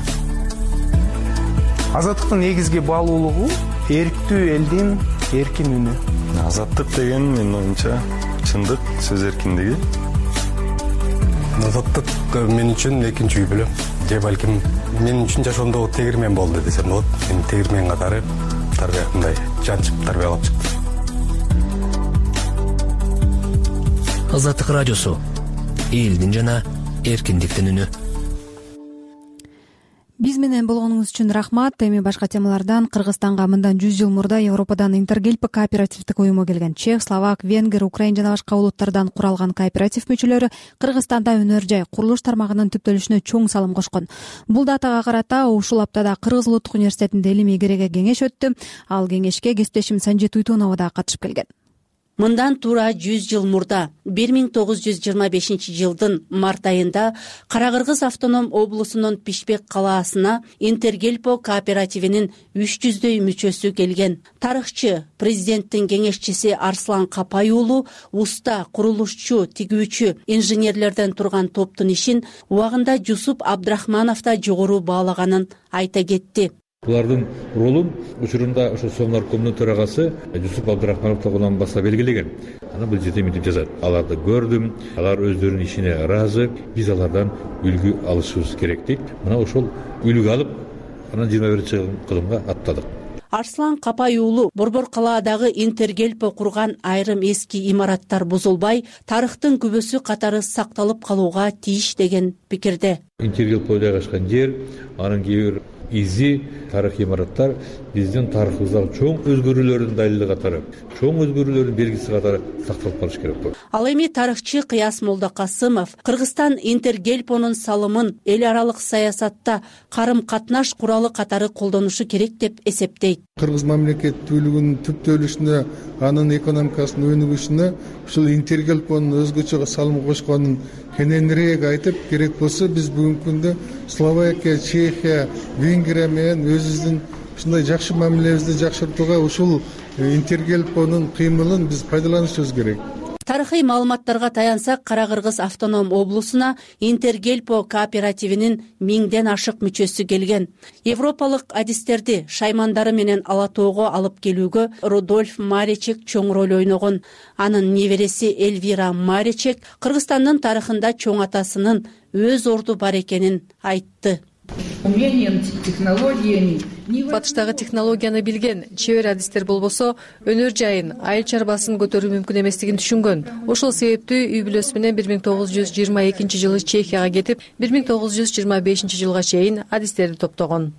Азаттыктын негизги баалуулугу эрктүү элдин эркин үнү. Азаттык деген менин оюмча чындык, сөз эркиндиги. Азаттык мен үчүн экинчи үй бүлөм. Же балким мен үчүн жашоомдогу тегирмен болду десем болот. Мен тегирмен катары тарбиягындай жанчып тарбиялап чыкты. Азаттык радиосу. Элдин жана эркиндиктин үнү. Биз менен болгонуңуз үчүн рахмат. Эми башка темалардан Кыргызстанга мындан 100 жыл мурда Европадан Интергельп кооперативдик уюму келген. Чех, словак, венгер, украин жана башка улуттардан куралган кооператив мүчөлөрү Кыргызстанда өнөр жай, курулуш тармагынын түптөлүшүнө чоң салым кошкон. Бул датага карата ушул аптада Кыргыз улуттук университетинде илимий кереге кеңеш өттү. Ал кеңешке кесиптешим Санжет Уйтунова да катышып келген. Мындан туура 100 жыл мурда 1925 жылдын март айында Кара-Кыргыз автоном облусунун Пишпек калаасына Интергельпо кооперативинин 300дөй мүчөсү келген. Тарыхчы, президенттин кеңешчиси Арслан Капай уулу уста курулушчу, тигүүчү, инженерлерден турган топтун ишин убагында Жусуп Абдрахманов да жогору баалаганын айта кетти. Булардын ролун учурунда ошо Соң наркомдун төрагасы Жусуп Абдрахманов тогунан баса белгилеген. Анан бул жерде мынтип жазат: аларды көрдүм, алар өздөрүнүн ишине ыраазы, биз алардан үлгү алышыбыз керек дейт. Мына ошол үлгү алып, анан 21-кылымга аттадык. Арслан Капай уулу Борбор калаадагы Интергельпо курган айрым эски имараттар бузулбай, тарыхтын күбөсү катары сакталып калууга тийиш деген пикирде. Интергельпо жайгашкан жер, анын кээ бир изи тарых имараттар биздин тарыхыбыздагы чоң өзгөрүүлөрдүн далили катары, чоң өзгөрүүлөрдүн белгиси катары сакталып калыш керек болот. Ал эми тарыхчы Кыяс Молдокасымов Кыргызстан Интергельпонун салымын эл аралык саясатта карым-катнаш куралы катары колдонушу керек деп эсептейт. Кыргыз мамлекеттүүлүгүнүн түптөлүшүнө, анын экономикасынын өнүгүшүнө ушул Интергельпонун өзгөчө салым кошконун кененирээк айтып, керек болсо биз бүгүнкү күндө Словакия, Чехия, Венгрия менен өзүбүздүн ушундай жакшы мамилебизди жакшыртууга ушул Интергельпонун кыймылын биз пайдаланышыбыз керек. Тарыхый маалыматтарга таянсак, Кара-Кыргыз автоном облусуна Интергельпо кооперативинин 1000ден ашык мүчөсү келген. Европалык адистерди шаймандары менен ала тоого алып келүүгө Рудольф Маречек чоң роль ойногон. Анын небереси Эльвира Маречек Кыргызстандын тарыхында чоң атасынын өз орду бар экенин айтты. Батыштагы технологияны билген, чебер адистер болбосо, өнөр жайын, айыл чарбасын көтөрүү мүмкүн эместигин түшүнгөн. Ошол себептүү үй бүлөсү менен 1922 жылы Чехияга кетип, 1925 жылга чейин адистерди топтогон.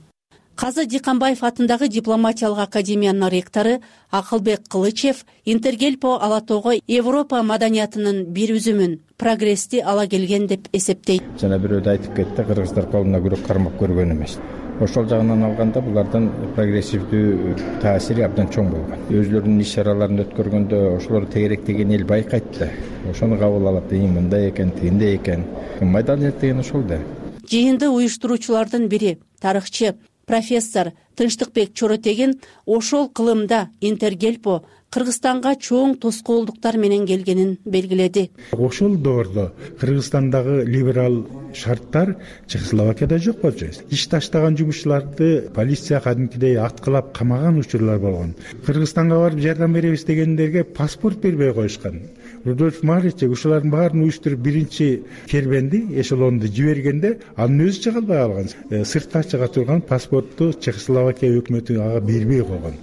Казы Диканбаев атындагы дипломатиялык академиянын ректору Акылбек Кылычев Интергельпо ала тоого Европа маданиятынын бир үзүмүн, прогрессти ала келген деп эсептейт. Жана бирөөдө айтып кетти, кыргыздар колуна күрөк кармап көргөн эмес. Ошол жагынан алганда булардын прогрессивдүү таасири абдан чоң болгон. Өзлөрүнүн иш-чараларын өткөргөндө ошолор тегеректеген эл байкайт да. Ошону кабыл алат, мындай экен, тигиндей экен. Маданият деген ошол да. Жыйынды уюштуруучулардын бири, тарыхчы профессор Тынчтыкбек Чоротегин ошол кылымда Интергельпо Кыргызстанга чоң тоскоолдуктар менен келгенин белгиледи. Ошол доордо Кыргызстандагы либерал шарттар Чехословакияда жок болчу. Иш таштаган жумушчуларды полиция кадимкидей аткылап камаган учурлар болгон. Кыргызстанга барып жардам беребиз дегендерге паспорт бербей коюшкан. Рудольф Маречек ушулардын баарын уюштуруп биринчи кербенди, эшелонду жибергенде анын өзү чыга албай калган. Сыртка чыга турган паспортту Чехословакия өкмөтү ага бербей койгон.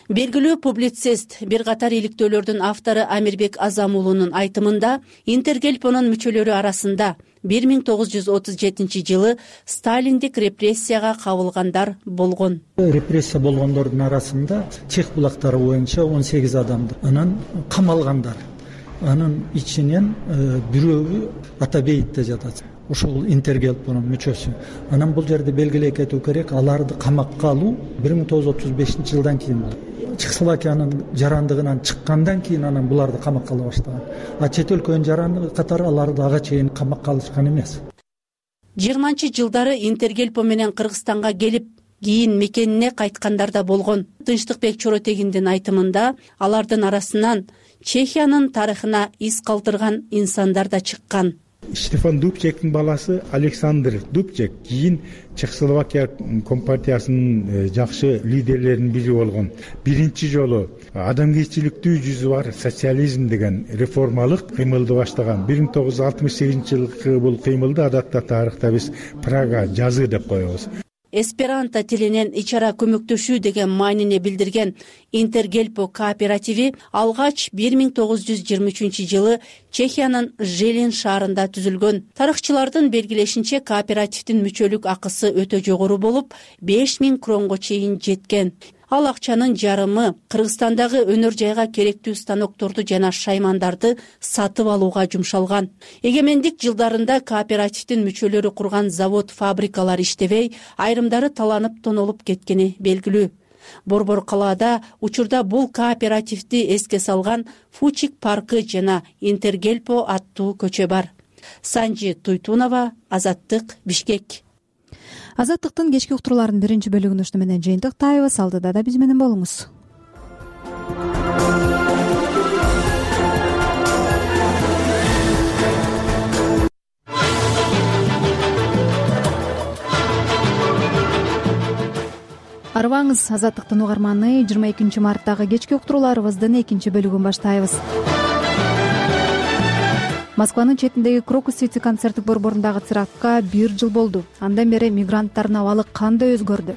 Белгилүү публицист, бир катар иликтөөлөрдүн автору Амирбек Азам уулунун айтымында, Интергельпонун мүчөлөрү арасында 1937 жылы сталиндик репрессияга кабылгандар болгон. Репрессия болгондордун арасында Чех булактары боюнча 18 адамды анан камалгандар. Анын ичинен бирөөгү Атабеевде жатат. Ошол Интергельпонун мүчөсү. Анан бул жерде белгилей кетүү керек, аларды камакка алуу 1935 жылдан кийин болду. Чехословакиянын жарандыгынан чыккандан кийин анан буларды камакка ала баштаган. А чет өлкөнүн жарандыгы катары аларды ага чейин камакка алышкан эмес. 20-жылдары Интергельпо менен Кыргызстанга келип, кийин мекенине кайткандар да болгон. Тынчтыкбек Чоротегиндин айтымында, алардын арасынан Чехиянын тарыхына из калтырган инсандар да чыккан. Штефан Дубчектин баласы Александр Дубчек кийин Чехословакия компартиясынын жакшы лидерлеринин бири болгон. Биринчи жолу адамгерчиликтүү жүзү бар социализм деген реформалык кыймылды баштаган. 1968 жылкы бул кыймылды адатта тарыхта биз Прага жазы деп коебуз. Эсперанто тилинен ичара көмөктөшүү деген маанини билдирген Интергельпо кооперативи алгач 1923 жылы Чехиянын Желин шаарында түзүлгөн. Тарыхчылардын белгилешинче, кооперативдин мүчөлүк акысы өтө жогору болуп, 5000 кронго чейин жеткен. Ал акчанын жарымы Кыргызстандагы өнөр жайга керектүү станокторду жана шаймандарды сатып алууга жумшалган. Эгемендик жылдарында кооперативдин мүчөлөрү курган завод, фабрикалар иштебей, айрымдары таланып тонолуп кеткени белгилүү. Борбор калаада учурда бул кооперативди эске салган Фучик паркы жана Интергельпо аттуу көчө бар. Санжи Туйтунова, Азаттык, Бишкек. Азаттыктын кечки уктурууларынын биринчи бөлүгүн ушуну менен жыйынтыктайбыз. Алдыда да биз менен болуңуз. Арыбаңыз, Азаттыктын угарманы. 22 марттагы кечки уктурууларыбыздын экинчи бөлүгүн баштайбыз. Москванын четиндеги Крокус-Сити концерттик борборундагы терактка 1 жыл болду. Андан бери мигранттардын абалы кандай өзгөрдү?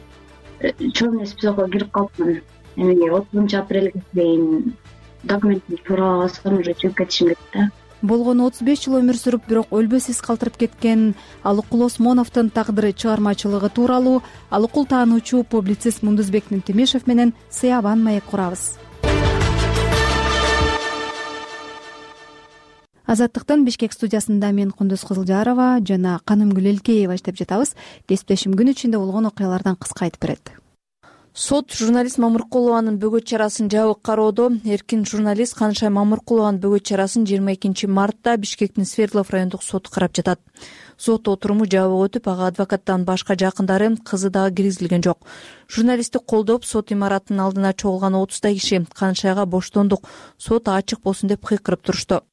Чорный списокко кирип калыпмын. Эми 30-апрелге чейин документти туураласам уже чыгып кетишим керек да. Болгону 35 жыл өмүр сүрүп, бирок өлбөсүз калтырып кеткен Алыкул Осмоновдун тагдыры чыгармачылыгы тууралуу Алыкул таануучу публицист Мундузбек Нимтемишев менен Сыябан маек курабыз. Азаттыктын Бишкек студиясында мен Кундуз Кызылжарова жана Канымгүл Элкеева иштеп жатабыз. Кесиптешим күн ичинде болгон окуялардан кыска айтып берет. Сот журналист Мамыркулованын бөгөт чарасын жабык кароодо. Эркин журналист Канышай Мамыркулованын бөгөт чарасын 22 мартта Бишкектин Свердлов райондук соты карап жатат. Сот отуруму жабык өтүп, ага адвокаттан башка жакындары, кызы дагы киргизилген жок. Журналистти колдоп, сот имаратынын алдына чогулган 30 киши Канышайга боштондук, сот ачык болсун деп кыйкырып турушту.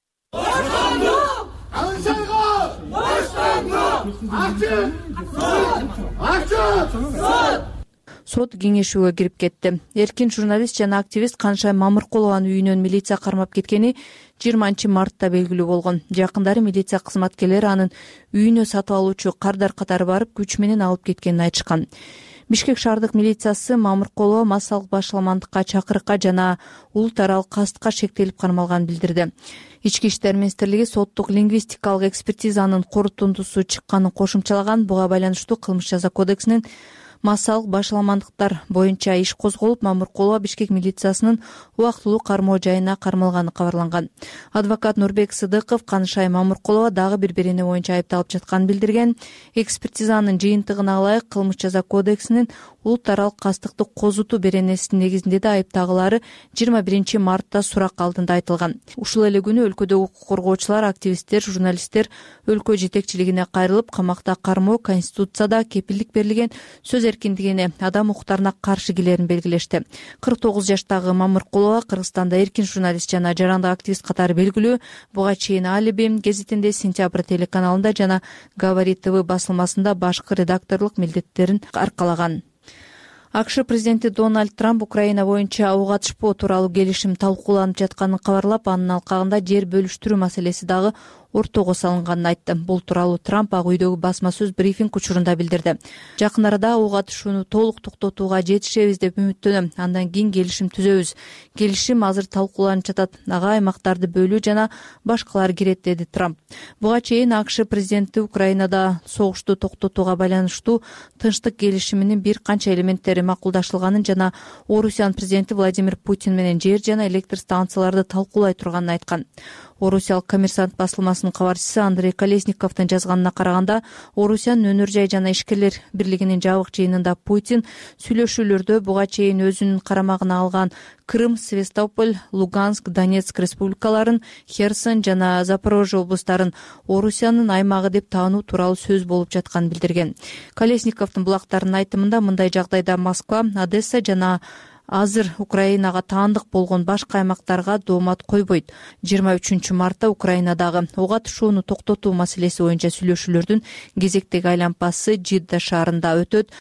Сот кеңешүүгө кирип кетти. Эркин журналист жана активист Канышай Мамыркулованын үйүнөн милиция кармап кеткени 20 мартта белгилүү болгон. Жакындары милиция кызматкерлери анын үйүнө сатып алуучу кардар катары барып, күч менен алып кеткенин айтышкан. Бишкек шаардык милициясы Мамыркулова массалык башаламандыкка, чакырыкка жана улут аралык кастыкка шектелип кармалганын билдирди. Ички иштер министрлиги соттук лингвистикалык экспертизанын корутундусу чыкканын кошумчалаган. Буга байланыштуу кылмыш жаза кодексинин массалык башаламандыктар боюнча иш козголуп, Мамыркулова Бишкек милициясынын убактылуу кармоо жайына кармалганы кабарланган. Адвокат Нурбек Сыдыков Канышай Мамыркулова дагы бир-бирине боюнча айыпталып жатканын билдирген. Экспертизанын жыйынтыгына ылайык кылмыш жаза кодексинин улут аралык кастыкты козутуу беренесинин негизинде да айыптагылары 21 мартта сурак алдында айтылган. Ушул эле күнү өлкөдөгү укук коргоочулар, активисттер, журналисттер өлкө жетекчилигине кайрылып, камакта кармоо Конституцияда кепилдик берилген сөз эркиндигине, адам укуктарына каршы келерин белгилешти. 49 жаштагы Мамыркулова Кыргызстанда эркин журналист жана жарандык активист катары белгилүү. Буга чейин Алиби гезитинде, Сентябрь телеканалында жана Говорит ТВ басылмасында башкы редакторлук милдеттерин аркалаган. АКШ президенти Дональд Трамп Украина боюнча ок атышпоо тууралуу келишим талкууланып жатканын кабарлап, анын алкагында жер бөлүштүрүү маселеси дагы ортого салынганын айтты. Бул тууралуу Трамп Ак үйдөгү басма сөз брифинг учурунда билдирди. Жакын арада ок атышууну толук токтотууга жетишебиз деп үмүттөнөм. Андан кийин келишим түзөбүз. Келишим азыр талкууланып жатат. Ага аймактарды бөлүү жана башкалар кирет, деди Трамп. Буга чейин АКШ президенти Украинада согушту токтотууга байланыштуу тынчтык келишиминин бир канча элементтери макулдашылганын жана Орусиянын президенти Владимир Путин менен жер жана электр станцияларды талкуулай турганын айткан. Орусиялык Коммерсант басылмасынын кабарчысы Андрей Колесниковдун жазганына караганда, Орусиянын өнөр жай жана ишкерлер бирлигинин жабык жыйынында Путин сүйлөшүүлөрдө буга чейин өзүнүн карамагына алган Крым, Севастополь, Луганск, Донецк республикаларын, Херсон жана Запорожье облустарын Орусиянын аймагы деп таануу тууралуу сөз болуп жатканын билдирген. Колесниковдун булактарынын айтымында, мындай жагдайда Москва, Одесса жана азыр Украинага таандык болгон башка аймактарга доомат койбойт. 23 мартта Украинадагы ок атышууну токтотуу маселеси боюнча сүйлөшүүлөрдүн кезектеги айлампасы Жидда шаарында өтөт.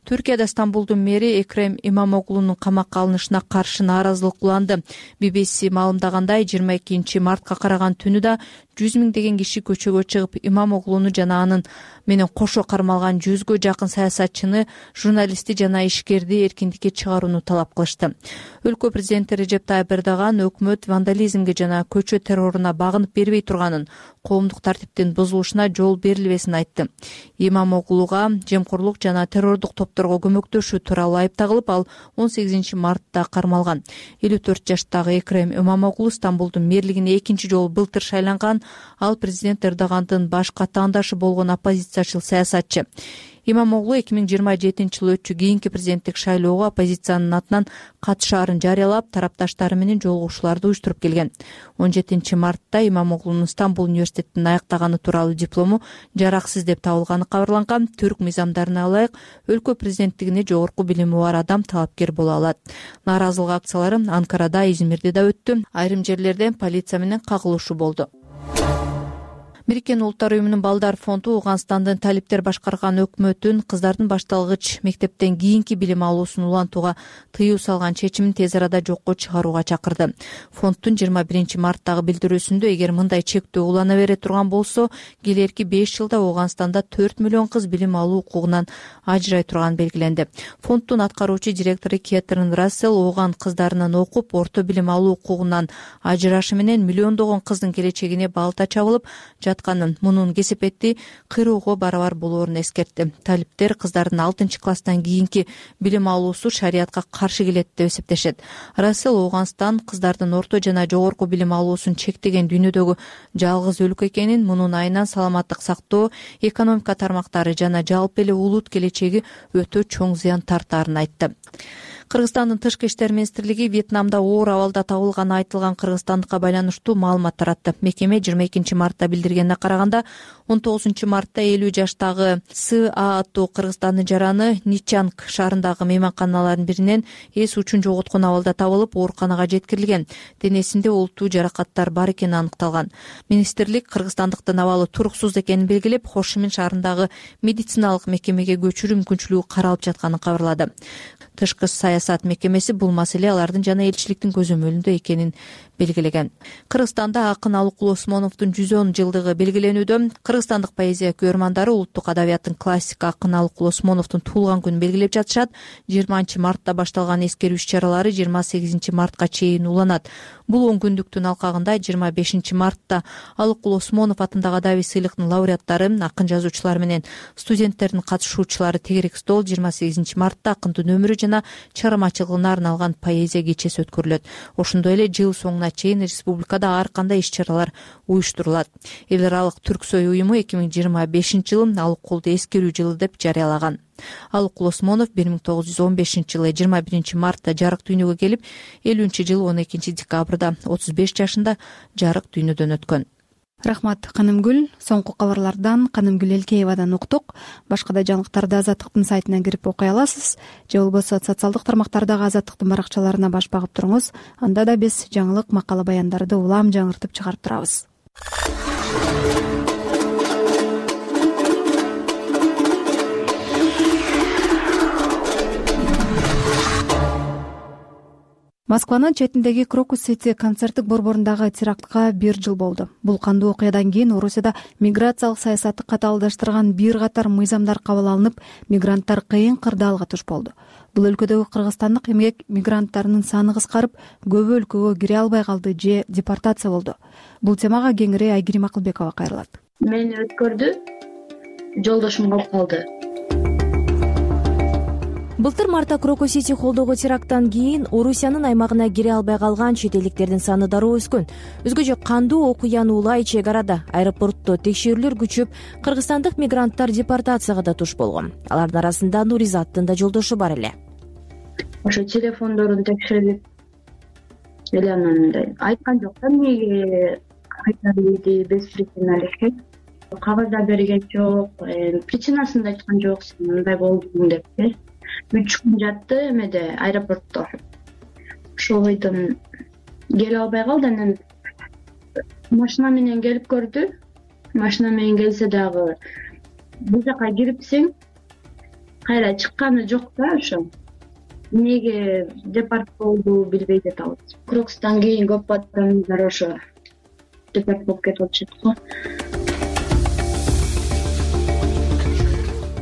Түркияда Стамбулдун мэри Экрем Имамоглунун камакка алынышына каршы нааразылык уланды. BBC маалымдагандай, 22 мартка караган түнү да 100 миңдеген киши көчөгө чыгып, Имамоглуну жана анын менен кошо кармалган 100гө жакын саясатчыны, журналистти жана ишкерди эркиндикке чыгарууну талап кылышты. Өлкө президенти Режеп Тайып Эрдоган өкмөт вандализмге жана көчө терроруна багынып бербей турганын, коомдук тартиптин бузулушуна жол берилбесин айтты. Имамоглуга жемкорлук жана террордук топторго көмөктөшүү тууралуу айып тагылып, ал 18 мартта кармалган. 54 жаштагы Экрем Имамоглу Стамбулдун мэрлигине экинчи жолу былтыр шайланган. Ал президент Эрдогандын башка таандашы болгон оппозициячыл саясатчы. Имамоглу 2027-жылы өтчү кийинки президенттик шайлоого оппозициянын атынан катышаарын жарыялап, тарапташтары менен жолугушууларды уюштуруп келген. 17 мартта Имамоглунун Стамбул университетин аяктаганы тууралуу диплому жараксыз деп табылганы кабарланган. Түрк мыйзамдарына ылайык өлкө президенттигине жогорку билими бар адам талапкер боло алат. Нааразылык акциялары Анкарада, Измирде да өттү. Айрым жерлерде полиция менен кагылышуу болду. Бириккен Улуттар уюмунун Балдар фонду Ооганстандын талиптер башкарган өкмөтүн кыздардын башталгыч мектептен кийинки билим алуусун улантууга тыюу салган чечимин тез арада жокко чыгарууга чакырды. Фонддун 21 марттагы билдирүүсүндө эгер мындай чектөө улана бере турган болсо, келерки 5 жылда Ооганстанда 4 миллион кыз билим алуу укугунан ажырай турганы белгиленди. Фонддун аткаруучу директору Кетрин Рассел ооган кыздарынын окуп, орто билим алуу укугунан ажырашы менен миллиондогон кыздын келечегине балта чабылып мунун кесепетти кыйроого барабар болоорун эскертти. Талиптер кыздардын 6-класстан кийинки билим алуусу шариятка каршы келет деп эсептешет. Рассел Ооганстан кыздардын орто жана жогорку билим алуусун чектеген дүйнөдөгү жалгыз өлкө экенин, мунун айынан саламаттык сактоо, экономика тармактары жана жалпы эле улут келечеги өтө чоң зыян тартаарын айтты. Кыргызстандын тышкы иштер министрлиги Вьетнамда оор абалда табылганы айтылган кыргызстандыкка байланыштуу маалымат таратты. Мекеме 22 мартта билдиргенине караганда, 19 мартта 50 жаштагы С.А. аттуу Кыргызстандын жараны Ничанг шаарындагы мейманканалардын биринен эс учун жоготкон абалда табылып, ооруканага жеткирилген. Денесинде олуттуу жаракаттар бар экени аныкталган. Министрлик кыргызстандыктын абалы туруксуз экенин белгилеп, Хошимин шаарындагы медициналык мекемеге көчүрүү мүмкүнчүлүгү каралып жатканын кабарлады. Тышкы саясат мекемеси бул маселе алардын жана элчиликтин көзөмөлүндө экенин белгилеген. Кыргызстанда акын Алыкул Осмоновдун 110 жылдыгы белгиленүүдө. Кыргызстандык поэзия көрмандары улуттук адабияттын классик акын Алыкул Осмоновдун туулган күнүн белгилеп жатышат. 20 мартта башталган эскерүү иш-чаралары 28 мартка чейин уланат. Бул 10 күндүктүн алкагында 25 мартта Алыкул Осмонов атындагы адабий сыйлыктын лауреаттары, акын жазуучулар менен студенттердин катышуучулары тегерек стол, 28 мартта акындын өмүрү жана чыгармачылыгына арналган поэзия кечеси өткөрүлөт. Ошондой эле жыл соңуна чейин республикада ар кандай иш-чаралар уюштурулат. Эл аралык Түрксой уюму 2025 жылын Алыкулду эскерүү жылы деп жарыялаган. Алыкул Осмонов 1915 жылы 21 мартта жарык дүйнөгө келип, 50-жылы 12 декабрда 35 жашында жарык дүйнөдөн өткөн. Рахмат, Канымгүл. Соңку кабарлардан Канымгүл Элкеевадан уктук. Башка да жаңылыктарды Азаттыктын сайтынан кирип окуй аласыз. Же болбосо социалдык тармактардагы Азаттыктын баракчаларына баш багып туруңуз. Анда да биз жаңылык, макала, баяндарды улам жаңыртып чыгарып турабыз. Москванын четиндеги Крокус-Сити концерттик борборундагы терактка 1 жыл болду. Бул кандуу окуядан кийин Орусияда миграциялык саясатты катаалдаштырган бир катар мыйзамдар кабыл алынып, мигранттар кыйын кырдаалга туш болду. Бул өлкөдөгү кыргызстандык эмгек мигранттарынын саны кыскарып, көбү өлкөгө кире албай калды же депортация болду. Бул темага кеңири Айгерим Акылбекова кайрылат. Мени өткөрдү, жолдошум калып калды. Былтыр мартта Крокус-Сити холлдогу теракттан кийин Орусиянын аймагына кире албай калган чет элдиктердин саны дароо өскөн. Өзгөчө кандуу окуяны улай чек арада аэропортто текшерүүлөр күчөп, кыргызстандык мигранттар депортацияга да туш болгон. Алардын арасында Нуризаттын да жолдошу бар эле. Ошо телефондорун текшерип эле анан айткан жок да, эмнеге кайтарды без причина эле. Кагазда берген жок, причинасын да айткан жок, сен мындай болдуң деп. 3 күн жатты эмеде, аэропортто. Ошол бойдон келе албай калды. Анан машина менен келип көрдү. Машина менен келсе дагы бул жака кирипсиң, кайра чыкканы жок да ошо. Эмнеге депорт болду билбей жатабыз. Крокустан кийин көп адамдар ошо депорт болуп кетип атышат го.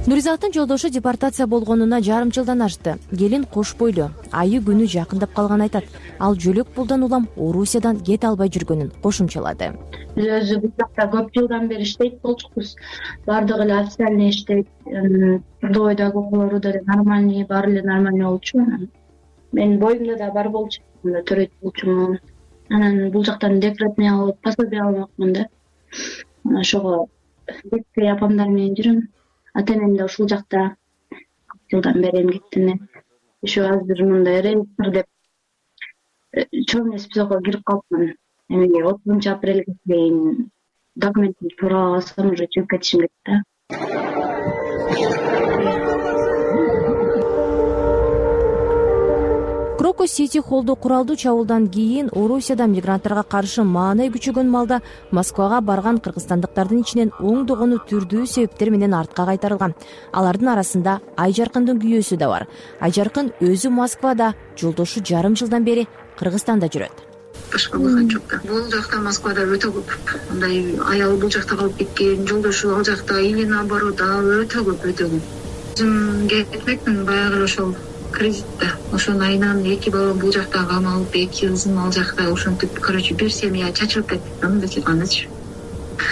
Нуризаттын жолдошу депортация болгонуна жарым жылдан ашты. Келин кош бойлуу, айы күнү жакындап калганын айтат. Ал жөлөк пулдан улам Орусиядан кете албай жүргөнүн кошумчалады. Өзү бул жакта көп жылдан бери иштейт болчукпуз. Бардыгы эле официальный иштейт. Трудовойдогу окуулору да нормальный, баары эле нормальный болчу. Менин боюмда да бар болчу, төрөйт болчумун. Анан бул жактан декретный алып, пособие алмакмын да. Ошого детский апамдар менен жүрөм. ата энем да ушул жакта жылдан бери эмгектенип еще азыр мындай рейдтер деп чоң эмес бизого кирип калыпмын. Эмеге 30 апрелге чейин документимди туура алсам уже чыгып кетишим керек да. Крокус Сити холлду куралдуу чабуулдан кийин Орусияда мигранттарга каршы маанай күчөгөн малда Москвага барган кыргызстандыктардын ичинен оңдогону түрдүү себептер менен артка кайтарылган. Алардын арасында Айжаркындын күйөөсү да бар. Айжаркын өзү Москвада, жолдошу жарым жылдан бери Кыргызстанда жүрөт. Башка выход жок да. Бул жакта Москвада өтө көп. Мындай аялы бул жакта калып кеткен, жолдошу ал жакта или наоборот өтө көп. Өзүм кетмекмин баягы ошол кредитте. Ошонун айынан 2 балам бул жакта камалып, 2 кызым ал жакта, ошентип, короче, бир семья чачылып кетти. Мындайча кандайчы.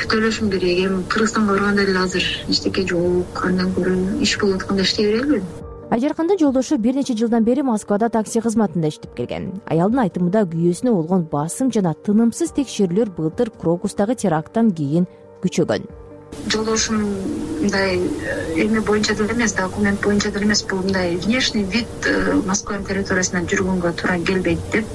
Төлөшүм керек. Эми Кыргызстанга барганда эле азыр эчтеке жок, андан көрө иш болуп атканда иштей берелби? Айжаркындын жолдошу бир нече жылдан бери Москвада такси кызматында иштеп келген. Аялдын айтымында күйөөсүнө болгон басым жана тынымсыз текшерүүлөр былтыр Крокустагы теракттан кийин күчөгөн. Жолдошум мындай эме боюнча деле эмес, документ боюнча деле эмес, бул мындай внешний вид Москва территориясынан жүргөнгө туура келбейт деп.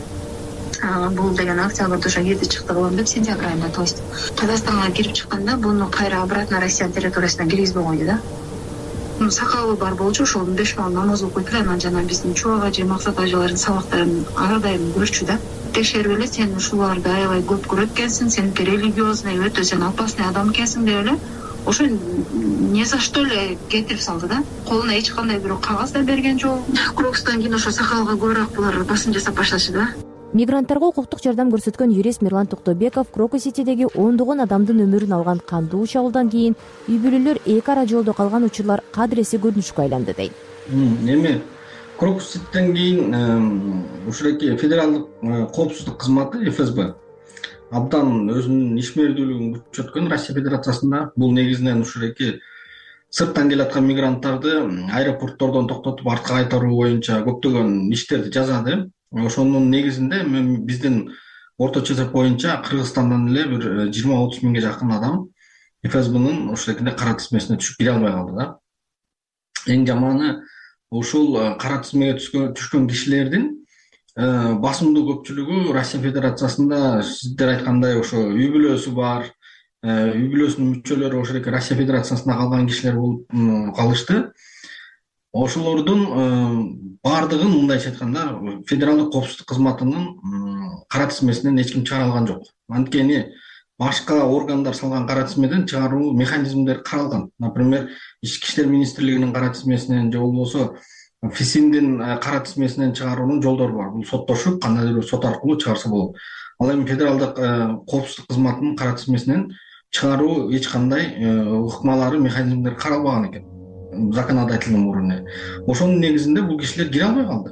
Бул деген октябрда ошо кирди чыкты кылам деп, сентябрь айында, то есть Казакстанга кирип чыкканда буну кайра обратно Россия территориясына киргизбей койду да. Сакалы бар болчу, ошол 5 бал намаз окуйт эле, анан жана биздин Чубак ажы, Максат ажылардын сабактарын ар дайым көрчү да. Текшерип эле, сен ушуларды аябай көп көрөт экенсиң, сен религиозный, өтө сен опасный адам экенсиң деп эле ошо не за что эле кетирип салды да. Колуна эч кандай бирок кагаз да берген жок. Крокустан кийин ошо сакалга көбүрөөк булар басым жасап башташты да. Мигранттарга укуктук жардам көрсөткөн юрист Мирлан Токтобеков Крокус Ситидеги ондогон адамдын өмүрүн алган кандуу чабуулдан кийин үй бүлөлөр эки ара жолдо калган учурлар кадыресе көрүнүшкө айланды дейт. Эми Крокус Ситиден кийин ушуреки федералдык коопсуздук кызматы ФСБ абдан өзүнүн ишмердүүлүгүн күчөткөн Россия Федерациясында. Бул негизинен ушуреки сырттан келаткан мигранттарды аэропорттордон токтотуп артка кайтаруу боюнча көптөгөн иштерди жасады. Ошонун негизинде биздин орточо эсеп боюнча Кыргызстандан эле бир 20-30 миңге жакын адам ФСБнын ушул кара тизмесине түшүп кире албай калды да. Эң жаманы ушул кара тизмеге түшкөн кишилердин басымдуу көпчүлүгү Россия Федерациясында сиздер айткандай ошо үй бүлөсү бар, үй бүлөсүнүн мүчөлөрү ошол Россия Федерациясында калган кишилер болуп калышты. Ошолордун баардыгын мындайча айтканда федералдык коопсуздук кызматынын кара тизмесинен эч ким чыгара алган жок. Анткени башка органдар салган кара тизмеден чыгаруу механизмдери каралган. Например, Ички иштер министрлигинин кара тизмесинен же болбосо ФИСИНдин кара тизмесинен чыгаруунун жолдору бар. Бул соттошуп, кандайдыр бир сот аркылуу чыгарса болот. Ал эми федералдык коопсуздук кызматынын кара тизмесинен чыгаруу эч кандай ыкмалары, механизмдери каралбаган экен законодательный уровне. Ошонун негизинде бул кишилер кире албай калды.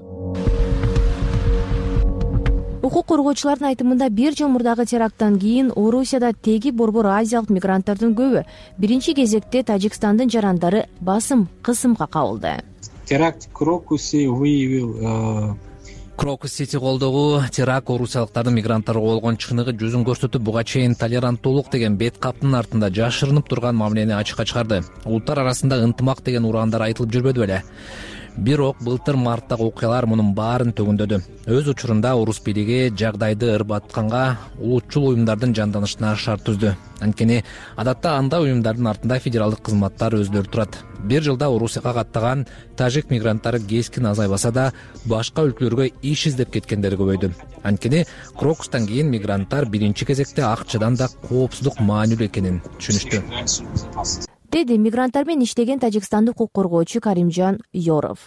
Укук коргоочулардын айтымында бир жыл мурдагы теракттан кийин Орусияда теги борбор азиялык мигранттардын көбү биринчи кезекте Тажикстандын жарандары басым, кысымга кабылды. Теракт в Крокусе выявил Крокус Сити колдогу теракт орусиялыктардын мигранттарга болгон чыныгы жүзүн көрсөтүп, буга чейин толеранттуулук деген бет каптын артында жашырынып турган мамилени ачыкка чыгарды. Улуттар арасында ынтымак деген ураандар айтылып жүрбөдү беле. Бирок былтыр марттагы окуялар мунун баарын төгүндөдү. Өз учурунда орус бийлиги жагдайды ырбатканга улутчул уюмдардын жанданышына шарт түздү. Анткени адатта андай уюмдардын артында федералдык кызматтар өздөрү турат. Бир жылда Орусияга каттаган тажик мигранттары кескин азайбаса да, башка өлкөлөргө иш издеп кеткендери көбөйдү. Анткени Крокустан кийин мигранттар биринчи кезекте акчадан да коопсуздук маанилүү экенин түшүнүштү. Деди мигранттар менен иштеген тажикстандык укук коргоочу Каримжан Yorov.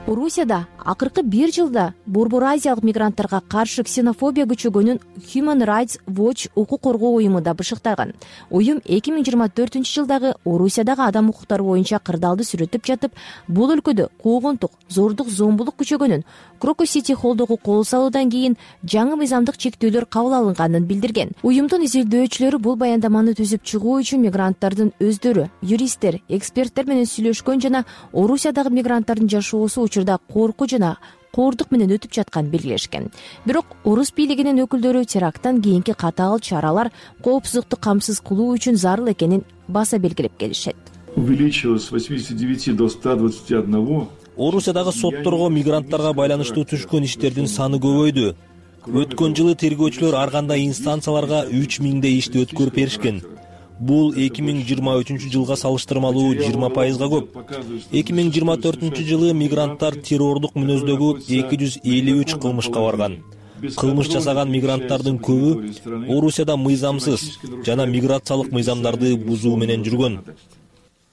Орусияда акыркы бир жылда борбор азиялык мигранттарга каршы ксенофобия күчөгөнүн Human Rights Watch укук коргоо уюму да бышыктаган. Уюм 2024-жылдагы Орусиядагы адам укуктары боюнча кырдаалды сүрөттөп жатып, бул өлкөдө куугунтук, зордук, зомбулук күчөгөнүн, Крокус Сити холдогу кол салуудан кийин жаңы мыйзамдык чектөөлөр кабыл алынганын билдирген. Уюмдун изилдөөчүлөрү бул баяндаманы түзүп чыгуу үчүн мигранттардын өздөрү, юристтер, эксперттер менен сүйлөшкөн жана Орусиядагы мигранттардын жашоосу учурда коркуу жана коордук менен өтүп жатканын белгилешкен. Бирок орус бийлигинин өкүлдөрү теракттан кийинки катаал чаралар коопсуздукту камсыз кылуу үчүн зарыл экенин баса белгилеп келишет. увеличилось с 89 до 121. Орусиядагы сотторго мигранттарга байланыштуу түшкөн иштердин саны көбөйдү. Өткөн жылы тергөөчүлөр ар кандай инстанцияларга 3000 ишти өткөрүп беришкен. Бул 2023 жылга салыштырмалуу 20%га көп. 2024 жылы мигранттар террордук мүнөздөгү 253 кылмышка барган. Кылмыш жасаган мигранттардын көбү Орусияда мыйзамсыз жана миграциялык мыйзамдарды бузуу менен жүргөн.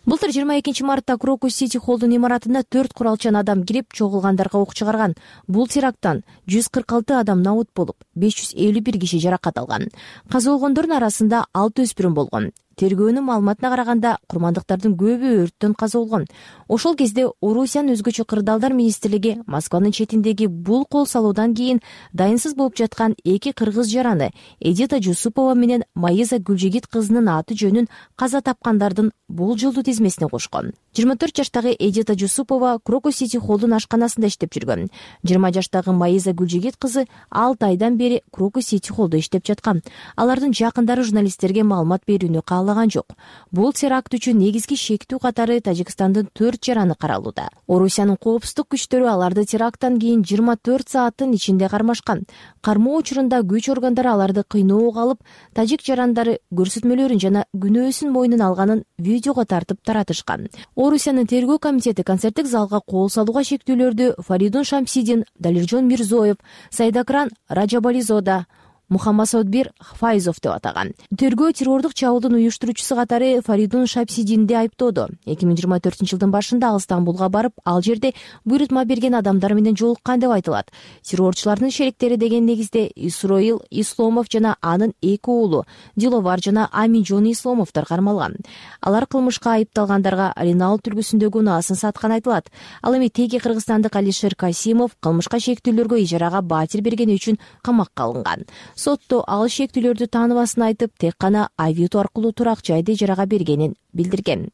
Былтыр 22 мартта Крокус Сити Холлдун имаратына 4 куралчан адам кирип, чогулгандарга ок чыгарган. Бул теракттан 146 адам набут болуп, 551 киши жаракат алган. Каза болгондордун арасында 6 өспүрүм болгон. Тергөөнүн маалыматына караганда, курмандыктардын көбү өрттөн каза болгон. Ошол кезде Орусиянын өзгөчө кырдаалдар министрлиги Москванын четиндеги бул кол салуудан кийин дайынсыз болуп жаткан 2 кыргыз жараны Эдита Жусупова менен Маиза Гүлжигит кызынын аты жөнүн каза тапкандардын болжолдуу тизмесине кошкон. 24 жаштагы Эдита Жусупова Крокус Сити Холлдун ашканасында иштеп жүргөн. 20 жаштагы Маиза Гүлжигит кызы 6 айдан бери Крокус Сити Холлдо иштеп жаткан. Алардын жакындары журналисттерге маалымат берүүнү каалаган жок. Бул теракт үчүн негизги шектүү катары Тажикстандын 4 жараны каралууда. Орусиянын коопсуздук күчтөрү аларды теракттан кийин 24 сааттын ичинде кармашкан. Кармоо учурунда күч органдары аларды кыйноого алып, тажик жарандары көрсөтмөлөрүн жана күнөөсүн мойнуна алганын видеого тартып таратышкан. Орусиянын тергөө комитети концерттик залга кол салууга шектүүлөрдү Фаридун Шамсидин, Далиржон Мирзоев, Сайдакран Раджабализода, Мухаммад Саудбир Файзов деп атаган. Тергөө террордук чабуулдун уюштуруучусу катары Фаридун Шамсидинди айыптоодо. 2024 жылдын башында ал Стамбулга барып, ал жерде буйрутма берген адамдар менен жолуккан деп айтылат. Террорчулардын шериктери деген негизде Исроил Исломов жана анын 2 уулу Диловар жана Аминжон Исломовдор кармалган. Алар кылмышка айыпталгандарга Ренал түлгүсүндөгү унаасын саткан айтылат. Ал эми теги кыргызстандык Алишер Касимов кылмышка шектүүлөргө ижарага батир бергени үчүн камакка алынган. Сотто ал шектүүлөрдү тааныбасын айтып, тек гана Авито аркылуу турак жайды ижарага бергенин билдирген.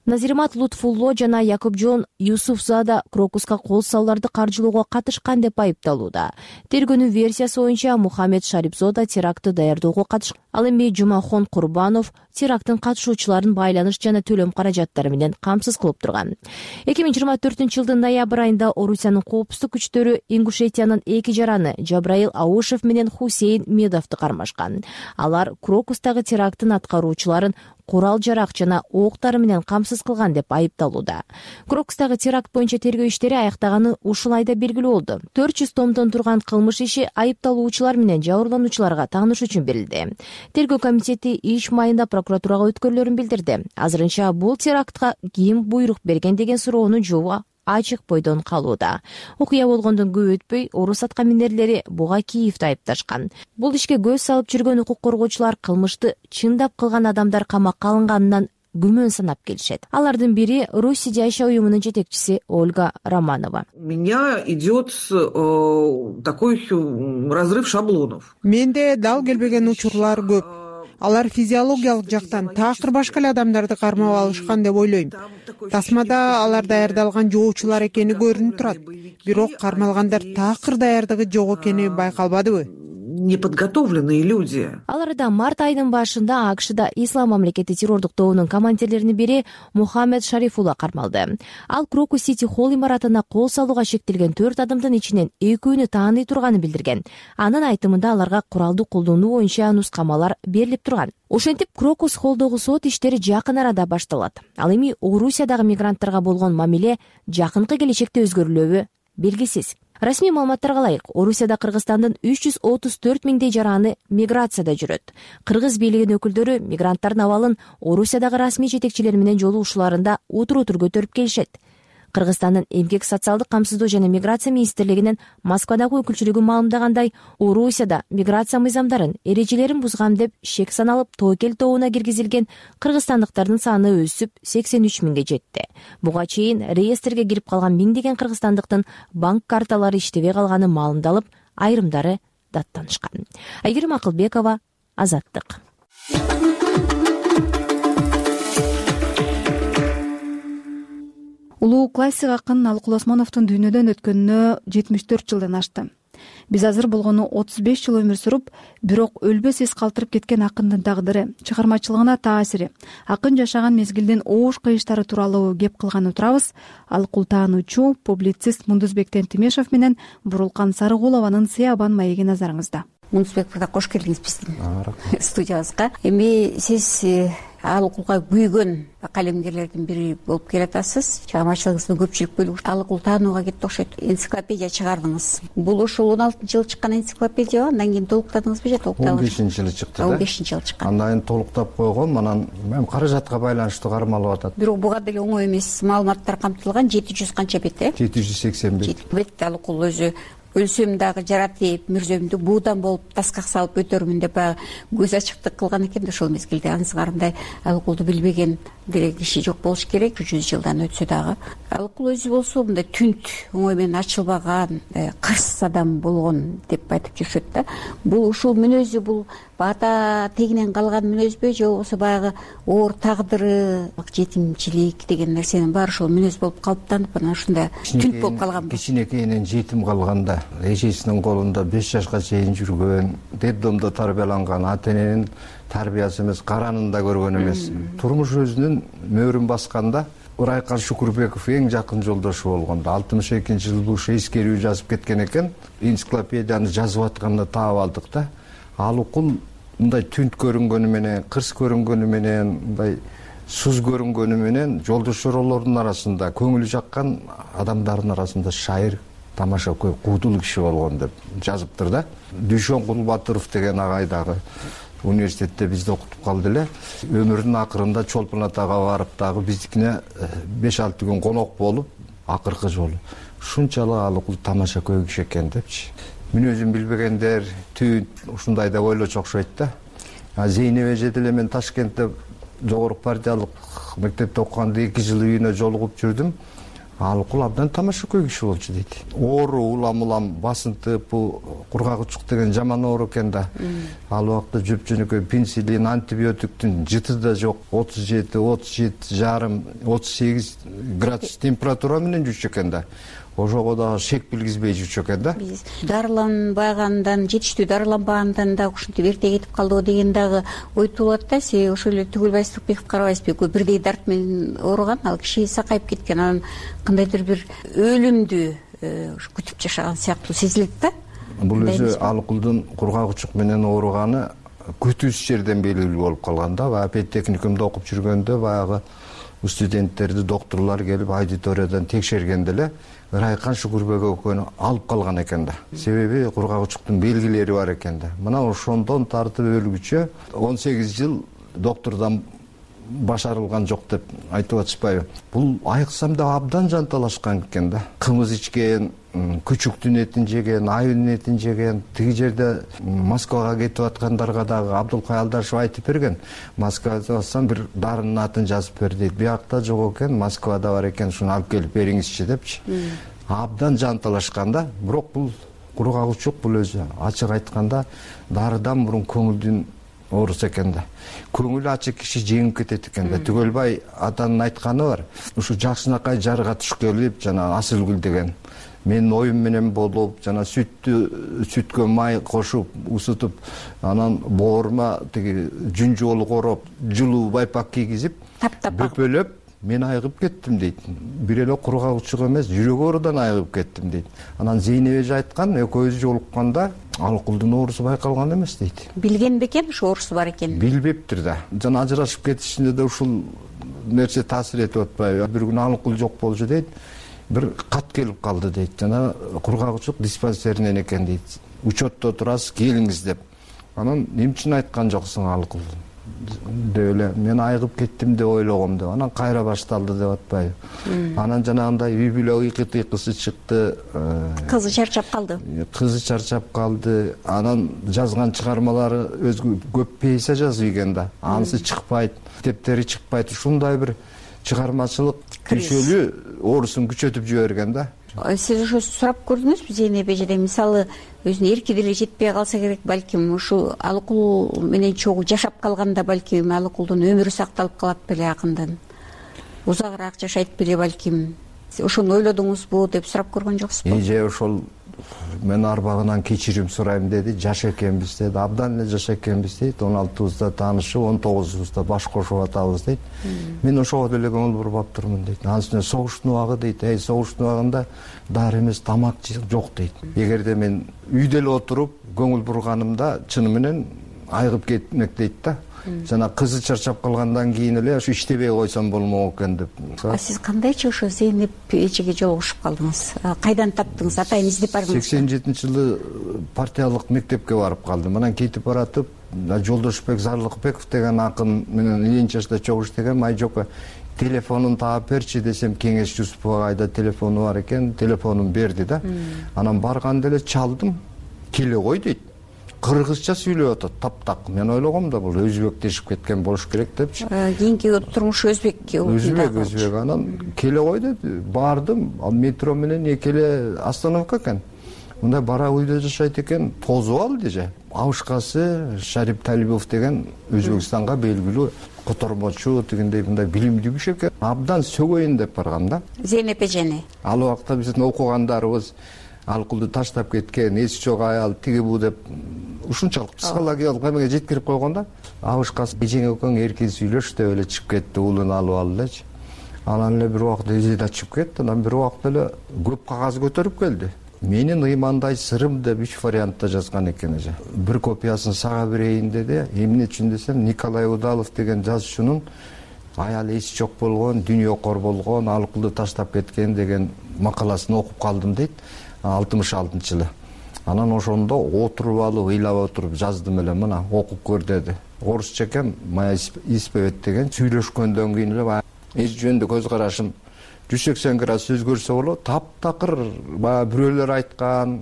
Назирмат Лутфулло жана Якупжон Юсуфзада Крокуска кол салууларды каржылоого катышкан деп айыпталууда. Тергөөнүн версиясы боюнча Мухаммед Шарипзода терактты даярдоого катышкан. Ал эми Жумахон Курбанов теракттын катышуучуларын байланыш жана төлөм каражаттары менен камсыз кылып турган. 2024 жылдын ноябрь айында Орусиянын коопсуздук күчтөрү Ингушетиянын 2 жараны Жабраил Аушев менен Хусейн Медовду кармашкан. Алар Крокустагы теракттын аткаруучуларын курал жарак жана октар менен камсыз кылган деп айыпталууда. Крокустагы теракт боюнча тергөө иштери аяктаганы ушул айда белгилүү болду. 400 томдон турган кылмыш иши айыпталуучулар менен жабырлануучуларга тааныш үчүн берилди. Тергөө комитети иш майында прокуратурага өткөрүлөрүн билдирди. Азырынча бул терактка ким буйрук берген деген суроонун жообу ачык бойдон калууда. Окуя болгондон көп өтпөй орус аткаминерлери буга Киевди айыпташкан. Бул ишке көз салып жүргөн укук коргоочулар кылмышты чындап кылган адамдар камакка алынганынан күмөн санап келишет. Алардын бири Руси жайша уюмунун жетекчиси Ольга Романова. Меня идет такой разрыв шаблонов. Менде дал келбеген учурлар көп. Алар физиологиялык жактан такыр башка эле адамдарды кармап алышкан деп ойлойм. Тасмада алар даярдалган жоочулар экени көрүнүп турат. Бирок кармалгандар такыр даярдыгы жок экени байкалбадыбы? Неподготовленные люди. Аларда март айынын башында АКШда Ислам мамлекети террордук тобунун командирлеринин бири Мухаммед Шарифулла кармалды. Ал Крокус Сити Холл имаратына кол салууга шектелген 4 адамдын ичинен 2-өөнү тааный турганын билдирген. Анын айтымында аларга куралды колдонуу боюнча нускамалар берилип турган. Ошентип Крокус Холлдогу сот иштери жакын арада башталат. Ал эми Орусиядагы мигранттарга болгон мамиле жакынкы келечекте өзгөрүлөбү белгисиз. Расмий маалыматтарга ылайык, Орусияда Кыргызстандын 334 миңдей жараны миграцияда жүрөт. Кыргыз бийлигинин өкүлдөрү мигранттардын абалын Орусиядагы расмий жетекчилер менен жолугушууларында утур-утур көтөрүп келишет. Кыргызстандын эмгек социалдык камсыздоо жана миграция министрлигинин Москвадагы өкүлчүлүгү маалымдагандай, Орусияда миграция мыйзамдарын, эрежелерин бузган деп шек саналып тобокел тобуна киргизилген кыргызстандыктардын саны өсүп 83 миңге жетти. Буга чейин реестрге кирип калган миңдеген кыргызстандыктын банк карталары иштебей калганы маалымдалып, айрымдары даттанышкан. Айгерим Акылбекова, Азаттык. Улуу классик акын Алык Осмоновдун дүйнөдөн өткөнүнө 74 жылдан ашты. Биз азыр болгону 35 жыл өмүр сүрүп, бирок өлбөс эс калтырып кеткен акындын тагдыры, чыгармачылыгына таасири, акын жашаган мезгилдин оош кыйыштары тууралуу кеп кылган отурабыз. Алыкул таануучу, публицист Мундузбек Тентимешов менен Бурулкан Сарыгулованын Сыябан маеги назарыңызда. Мундузбек мырза, кош келдиңиз биздин студиябызга. Эми сиз Алыкулга күйгөн калемгерлердин бири болуп келатасыз. Чыгармачылыгыңыздын көпчүлүк бөлүгү Алыкул таанууга кетти окшойт. Энциклопедия чыгардыңыз. Бул ошол 16-жылы чыккан энциклопедия, андан кийин толуктадыңызбы же толуктабы? 15-жылы чыкты. 15-жылы чыккан. Андан кийин толуктап койгом, анан мен каражатка байланыштуу кармалып атат. Бирок буга деле оңой эмес маалыматтар камтылган. 700 канча бет, 780 бет. Алыкул өзү өлсөм дагы жарат деп, мүрзөмдү буудан болуп таскак салып өтөрмүн деп баягы көз ачыктык кылган экен да ошол мезгилде. Ансыгарындай Алыкулду билбеген деле киши жок болуш керек, 100 жылдан өтсө дагы. Алыкул өзү болсо мындай түнт, оңой менен ачылбаган, кырс адам болгон деп айтып жүрүшөт да. Бул ушул мүнөзү, бул ата тегинен калган мүнөзбү же болбосо баягы оор тагдыры, жетимчилик деген нерсенин баары ошол мүнөз болуп калыптанып, анан ушундай түнт болуп калганбы? Кичинекейинен жетим калганда, эжесинин колунда 5 жашка чейин жүргөн, детдомдо тарбияланган, ата эненин тарбиясы эмес, каранын да көргөн эмес. Турмуш өзүнүн мөөрүн басканда Ырайкан Шукурбеков эң жакын жолдошу болгондо 62-жылы ушу эскерүү жазып кеткен экен. Энциклопедияны жазып атканда таап алдык да. Алыкул мындай түнт көрүнгөнү менен, кырс көрүнгөнү менен, мындай суз көрүнгөнү менен жолдошторолордун арасында, көңүлү жаккан адамдардын арасында шайыр, тамашакөй, куудул киши болгон деп жазыптыр да. Дүйшөн Кулбатыров деген агай дагы университетте бизди окутуп калды эле. Өмүрүнүн акырында Чолпон Атага барып дагы биздикине 5-6 күн конок болуп, акыркы жолу ушунчалык Алыкул тамашакөй киши экен депчи. Мүнөзүн билбегендер түн ушундай деп ойлочу окшойт да. Зейнеп эже деле мен Ташкентте жогорку партиялык мектепте окуганда 2 жыл үйүнө жолугуп жүрдүм. Алыкул абдан тамашакөй киши болчу дейт. Оору, улам басынтып, кургак учук деген жаман оору экен да. Ал убакта жөп-жөнөкөй пенсилин, антибиотиктин жыты да жок. 37,5, 38 градус температура менен жүрчү экен да. Ошого да шек билгизбей жүрчү экен да. Биз дарыланбагандан, жетиштүү дарыланбагандан да ушинтип эрте кетип калдыбы деген дагы ой туулат да. Себеби ошол эле Түгүлбай Сырыкбеков карабайсызбы, экөө бирдей дарт менен ооруган, ал киши сакайып кеткен, анан кандайдыр бир өлүмдү күтүп жашаган сыяктуу сезилет да. Бул өзү Алыкулдун кургак учук менен ооруганы күтүүсүз жерден белгилүү болуп калган да. Баягы педтехникумда окуп жүргөндө баягы студенттерди докторлор келип аудиториядан текшергенде эле Ырайкан Шукурбеков экөөнү алып калган экен да. Себеби кургак учуктун белгилери бар экен да. Мына ошондон тартып өлгүчө 18 жыл доктордон башарылган жок деп айтып атышпайбы? Бул айыксам да абдан жанталашкан экен да. Кымыз ичкен, күчүктүн этин жеген, айылдын этин жеген. Тиги жерде Москвага кетип аткандарга дагы Абдулкай Алдашев айтып берген. Москвада барсам бир дарынын атын жазып бер дейт. Биякта жок экен, Москвада бар экен, шуну алып келип бериңизчи депчи. Абдан жанталашкан да. Бирок бул кургак учук, бул өзү ачык айтканда дарыдан мурун көңүлдүн оорусу экен да. Көңүлү ачык киши жеңип кетет экен да. Түгөлбай атанын айтканы бар. Ушу Жакшынакай жарга түшкөлүп, жана Асылгүл деген менин оюм менен болуп, жана сүткө май кошуп, усутуп, анан боорума тиги жүн жолу короп, жылуу байпак кийгизип, бөпөлөп, мен айыгып кеттим дейт. Бир эле кургак учук эмес, жүрөк оорудан айыгып кеттим дейт. Анан Зейнеп эже айткан, экөөбүз жолукканда Алыкулдун оорусу байкалган эмес дейт. Билген бекен ушу оорусу бар экенин? Билбептир да. Жана ажырашып кетишинде да ушул нерсе таасир этип атпайбы? Бир күнү Алыкул жок болчу дейт. Бир кат келип калды дейт. Жана кургак учук диспансеринен экен дейт. Учетто турасыз, келиңиз деп. Анан эмне үчүн айткан жоксуң Алыкул деп эле мен айыгып кеттим деп ойлогом деп. Анан кайра башталды деп атпайбы? Анан жанагындай үй бүлө ыйкы-тыйкысы чыкты. Кызы чарчап калды. Анан жазган чыгармалары өзгө көп пьеса жазып ийген да. Анысы чыкпайт, китептери чыкпайт. Ушундай бир чыгармачылык күчөлүү оорусун күчөтүп жиберген да. Сиз ошо сурап көрдүңүзбү Зейнеп эжеден? Мисалы, өзүнө эрки деле жетпей калса керек, балким ушу Алыкул менен чогуу жашап калганда балким Алыкулдун өмүрү сакталып калат беле акындын. Узагыраак жашайт беле балким. Ошону ойлодуңузбу деп сурап көргөн жоксузбу? Эже ошол мен арбагынан кечирим сурайм деди. Жаш экенбиз деди. Абдан эле жаш экенбиз дейт. 16-бызда таанышып, 19-бызда баш кошуп атабыз дейт. Мен ошого деле көңүл бурбап турмун дейт. Анын үстүнө согуштун убагы дейт. Согуштун убагында дары эмес, тамак жок дейт. Эгерде мен үйдө эле отуруп көңүл бурганымда чыны менен айыгып кетмек дейт да. Жана кызы чарчап калгандан кийин эле ошо иштебей койсом болмок экен деп. Сиз кандайчы ошо Зейнеп эжеге жолугушуп калдыңыз? Кайдан таптыңыз? Атайын издеп бардыңыз? 87-жылы партиялык мектепке барып калдым. Анан кетип баратып, Жолдошбек Зарлыкбеков деген акын менен Ленин чашта чогуу иштеген. Майжока телефонун таап берчи десем, Кеңеш Жусуповго айда телефону бар экен, телефонун берди да. Анан барганда эле чалдым. Келе кой дейт. Кыргызча сүйлөп атат, таптак. Мен ойлогом да бул өзбектешип кеткен болуш керек депчи. Кийинки турмушу өзбекке өзбек. Анан келе кой деди. Бардым, метро менен экеле остановка экен. Мындай бара үйдө жашайт экен, тозуп алды же. Абышкасы Шарип Талибов деген Өзбекстанга белгилүү котормочу, дегендей мындай билимдүү киши экен. Абдан сөгөйүн деп баргам да. Зейнеп эжени. Ал убакта биздин окугандарыбыз Алкулду таштап кеткен, эси жок аял, тиги бу деп ушунчалык психологиялык эмеге жеткирип койгон да. Абышкасы эжең экөөң эркин сүйлөш деп эле чыгып кетти, уулун алып алды элечи. Анан эле бир убакта эже да чыгып кетти. Анан бир убакта эле көп кагаз көтөрүп келди. Менин ыймандай сырым деп 3 вариантта жазган экен эже. Бир копиясын сага берейин деди. Эмне үчүн десем, Николай Удалов деген жазуучунун аял эси жок болгон, дүйнөкор болгон, Алкулду таштап кеткен деген макаласын окуп калдым дейт. 66-жылы. Анан ошондо отуруп алып, ыйлап отуруп жаздым эле, мына окуп көр деди. Орусча экен, Моя исповедь деген. Сүйлөшкөндөн кийин эле эч жөнүндө көз карашым 180 градус өзгөрсө болот. Таптакыр баягы бирөөлөр айткан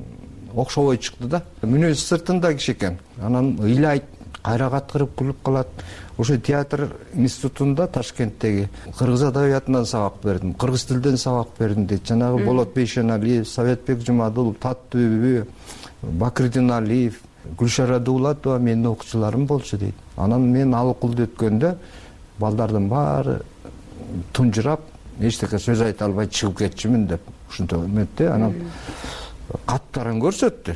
окшобой чыкты да. Мүнөзү сыртында киши экен. Анан ыйлайт, кайра каткырып күлүп калат. Ошо театр институтунда Ташкенттеги кыргыз адабиятынан сабак бердим, кыргыз тилден сабак бердим дейт. Жанагы Болот Бейшеналиев, Советбек Жумадулов, Таттүбү, Бакырдин Алиев, Гүлшара Дуулатова менин окуучуларым болчу дейт. Анан мен Алкулду өткөндө балдардын баары тунжурап, эчтеке сөз айта албай чыгып кетчүмүн деп ушинтип эметти. Анан каттарын көрсөттү.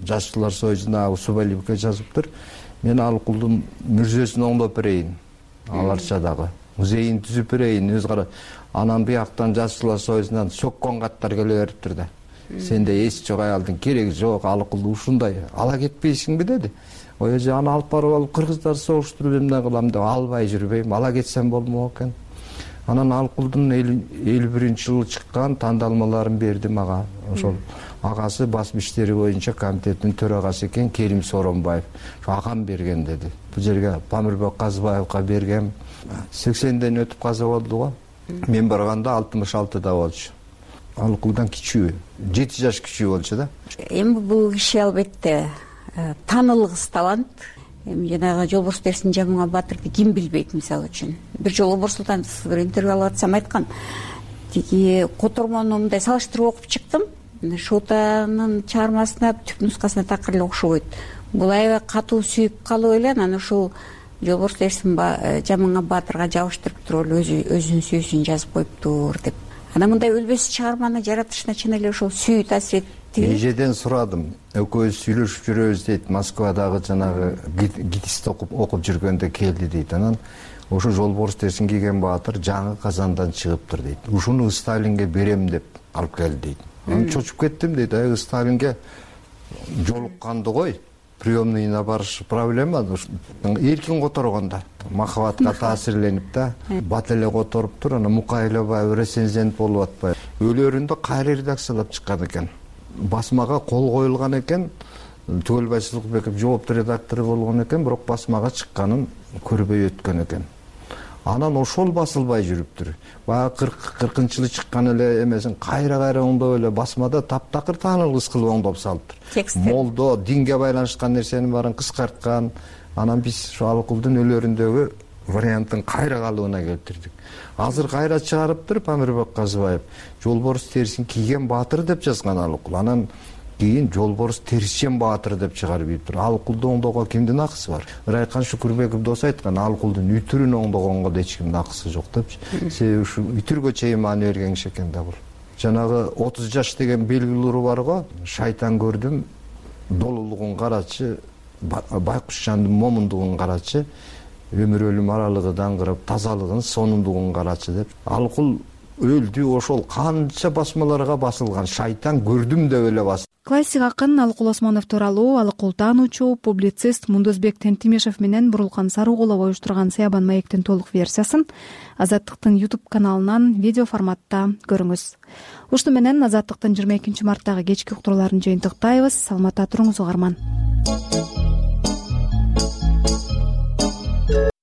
Жашчылар союзуна Субалиевке жазыптыр. Мен Алкулдун мүрзөсүн оңдоп берейин. Аларча дагы музейин түзүп берейин, өз кара. Анан бияктан Жашчылар союзунан соккон каттар келе бериптир да. Сенде эси жок аялдын кереги жок, Алкулду ушундай ала кетпейсиңби деди. Ой эже, аны алып барып алып кыргыздар согуштуруп эмне кылам деп албай жүрбөйм, ала кетсем болмок экен. Анан Алкулдун 51-жылы чыккан тандалмаларын берди мага. Ошол агасы басма иштери боюнча комитеттин төрагасы экен, Керим Соронбаев. Агам берген деди. Бул жерге Памирбек Казыбаевга бергем. 80ден өтүп каза болду го. Мен барганда 66да болчу. Алкулдан кичүү, 7 жаш кичүү болчу да. Эми бул киши албетте таанылгыс талант. Эми жанагы Жолборс Терсин Жамыңа Батырды ким билбейт, мисалы үчүн. Бир жолу Борсултанов бир интервью алып атсам айткан. Тиги котормону мындай салыштырып окуп чыктым. Шотанын чыгармасына түп нускасына такыр эле окшобойт. Бул аябай катуу сүйүп калып эле, анан ушул Жолборс Терсин Жамыңа Батырга жабыштырып туруп эле өзүнүн сүйүүсүн жазып коюптур деп. Анан мындай өлбөс чыгарманы жаратышына чын эле ошол сүйүү таасир эттиби? Эжеден сурадым. Экөөбүз сүйлөшүп жүрөбүз дейт. Москвадагы жанагы гидисти окуп жүргөндө келди дейт. Анан ошо Жолборс Терсин кийген Баатыр жаңы Казандан чыгыптыр дейт. Ушуну Сталинге берем деп алып келди дейт. Анан чочуп кеттим дейт. Сталинге жолукканды кой, приемныйына барыш проблема. Эркин которгондо махабатка таасирленип да, бат эле которуптур. Анан Мукайлабаев рецензент болуп атпайбы. Өлөрүндө кайра редакциялап чыккан экен. Басмага кол коюлган экен. Түгөлбай Сылыкбеков жооптуу редактору болгон экен, бирок басмага чыкканын көрбөй өткөн экен. Анан ошол басылбай жүрүптүр. Баягы 40-жылы чыккан эле эмесин кайра оңдоп эле басмада таптакыр таанылгыс кылып оңдоп салыптыр. Молдо, динге байланышкан нерсенин баарын кыскарткан. Анан биз ошо Алкулдун өлөрүндөгү варианттын кайра калыбына келтирдик. Азыр кайра чыгарыптыр Памирбек Казыбаев. Жолборс Терсин кийген Баатыр деп жазган Алкул. Анан кийин Жолборс Терсин Баатыр деп чыгарып. Алкулду оңдоого кимдин акысы бар? Райкан Шүкүрбеков дос айткан, Алкулдун үтүрүн оңдогонго да эч кимдин акысы жок депчи. Себеби ушу үтүргө чейин маани берген киши экен да бул. жанагы 30 жаш деген белгилери бар го. Шайтан көрдүм, долулугун карачы, байкуш жандын момундугун карачы, өмүр өлүм аралыгы даңгырап, тазалыгын, сонундугун карачы деп. Алкул өлдү, ошол канча басмаларга басылган. Шайтан көрдүм деп эле басты. Классик акын Алыкул Осмонов тууралуу Алыкул таануучу, публицист Мундузбек Тентимишев менен Бурулкан Сарыгулов уюштурган Сыябан маектин толук версиясын Азаттыктын YouTube каналынан видео форматта көрүңүз. Ушуну менен Азаттыктын 22-марттагы кечки уктурууларын жыйынтыктайбыз. Саламатта туруңуз угарман.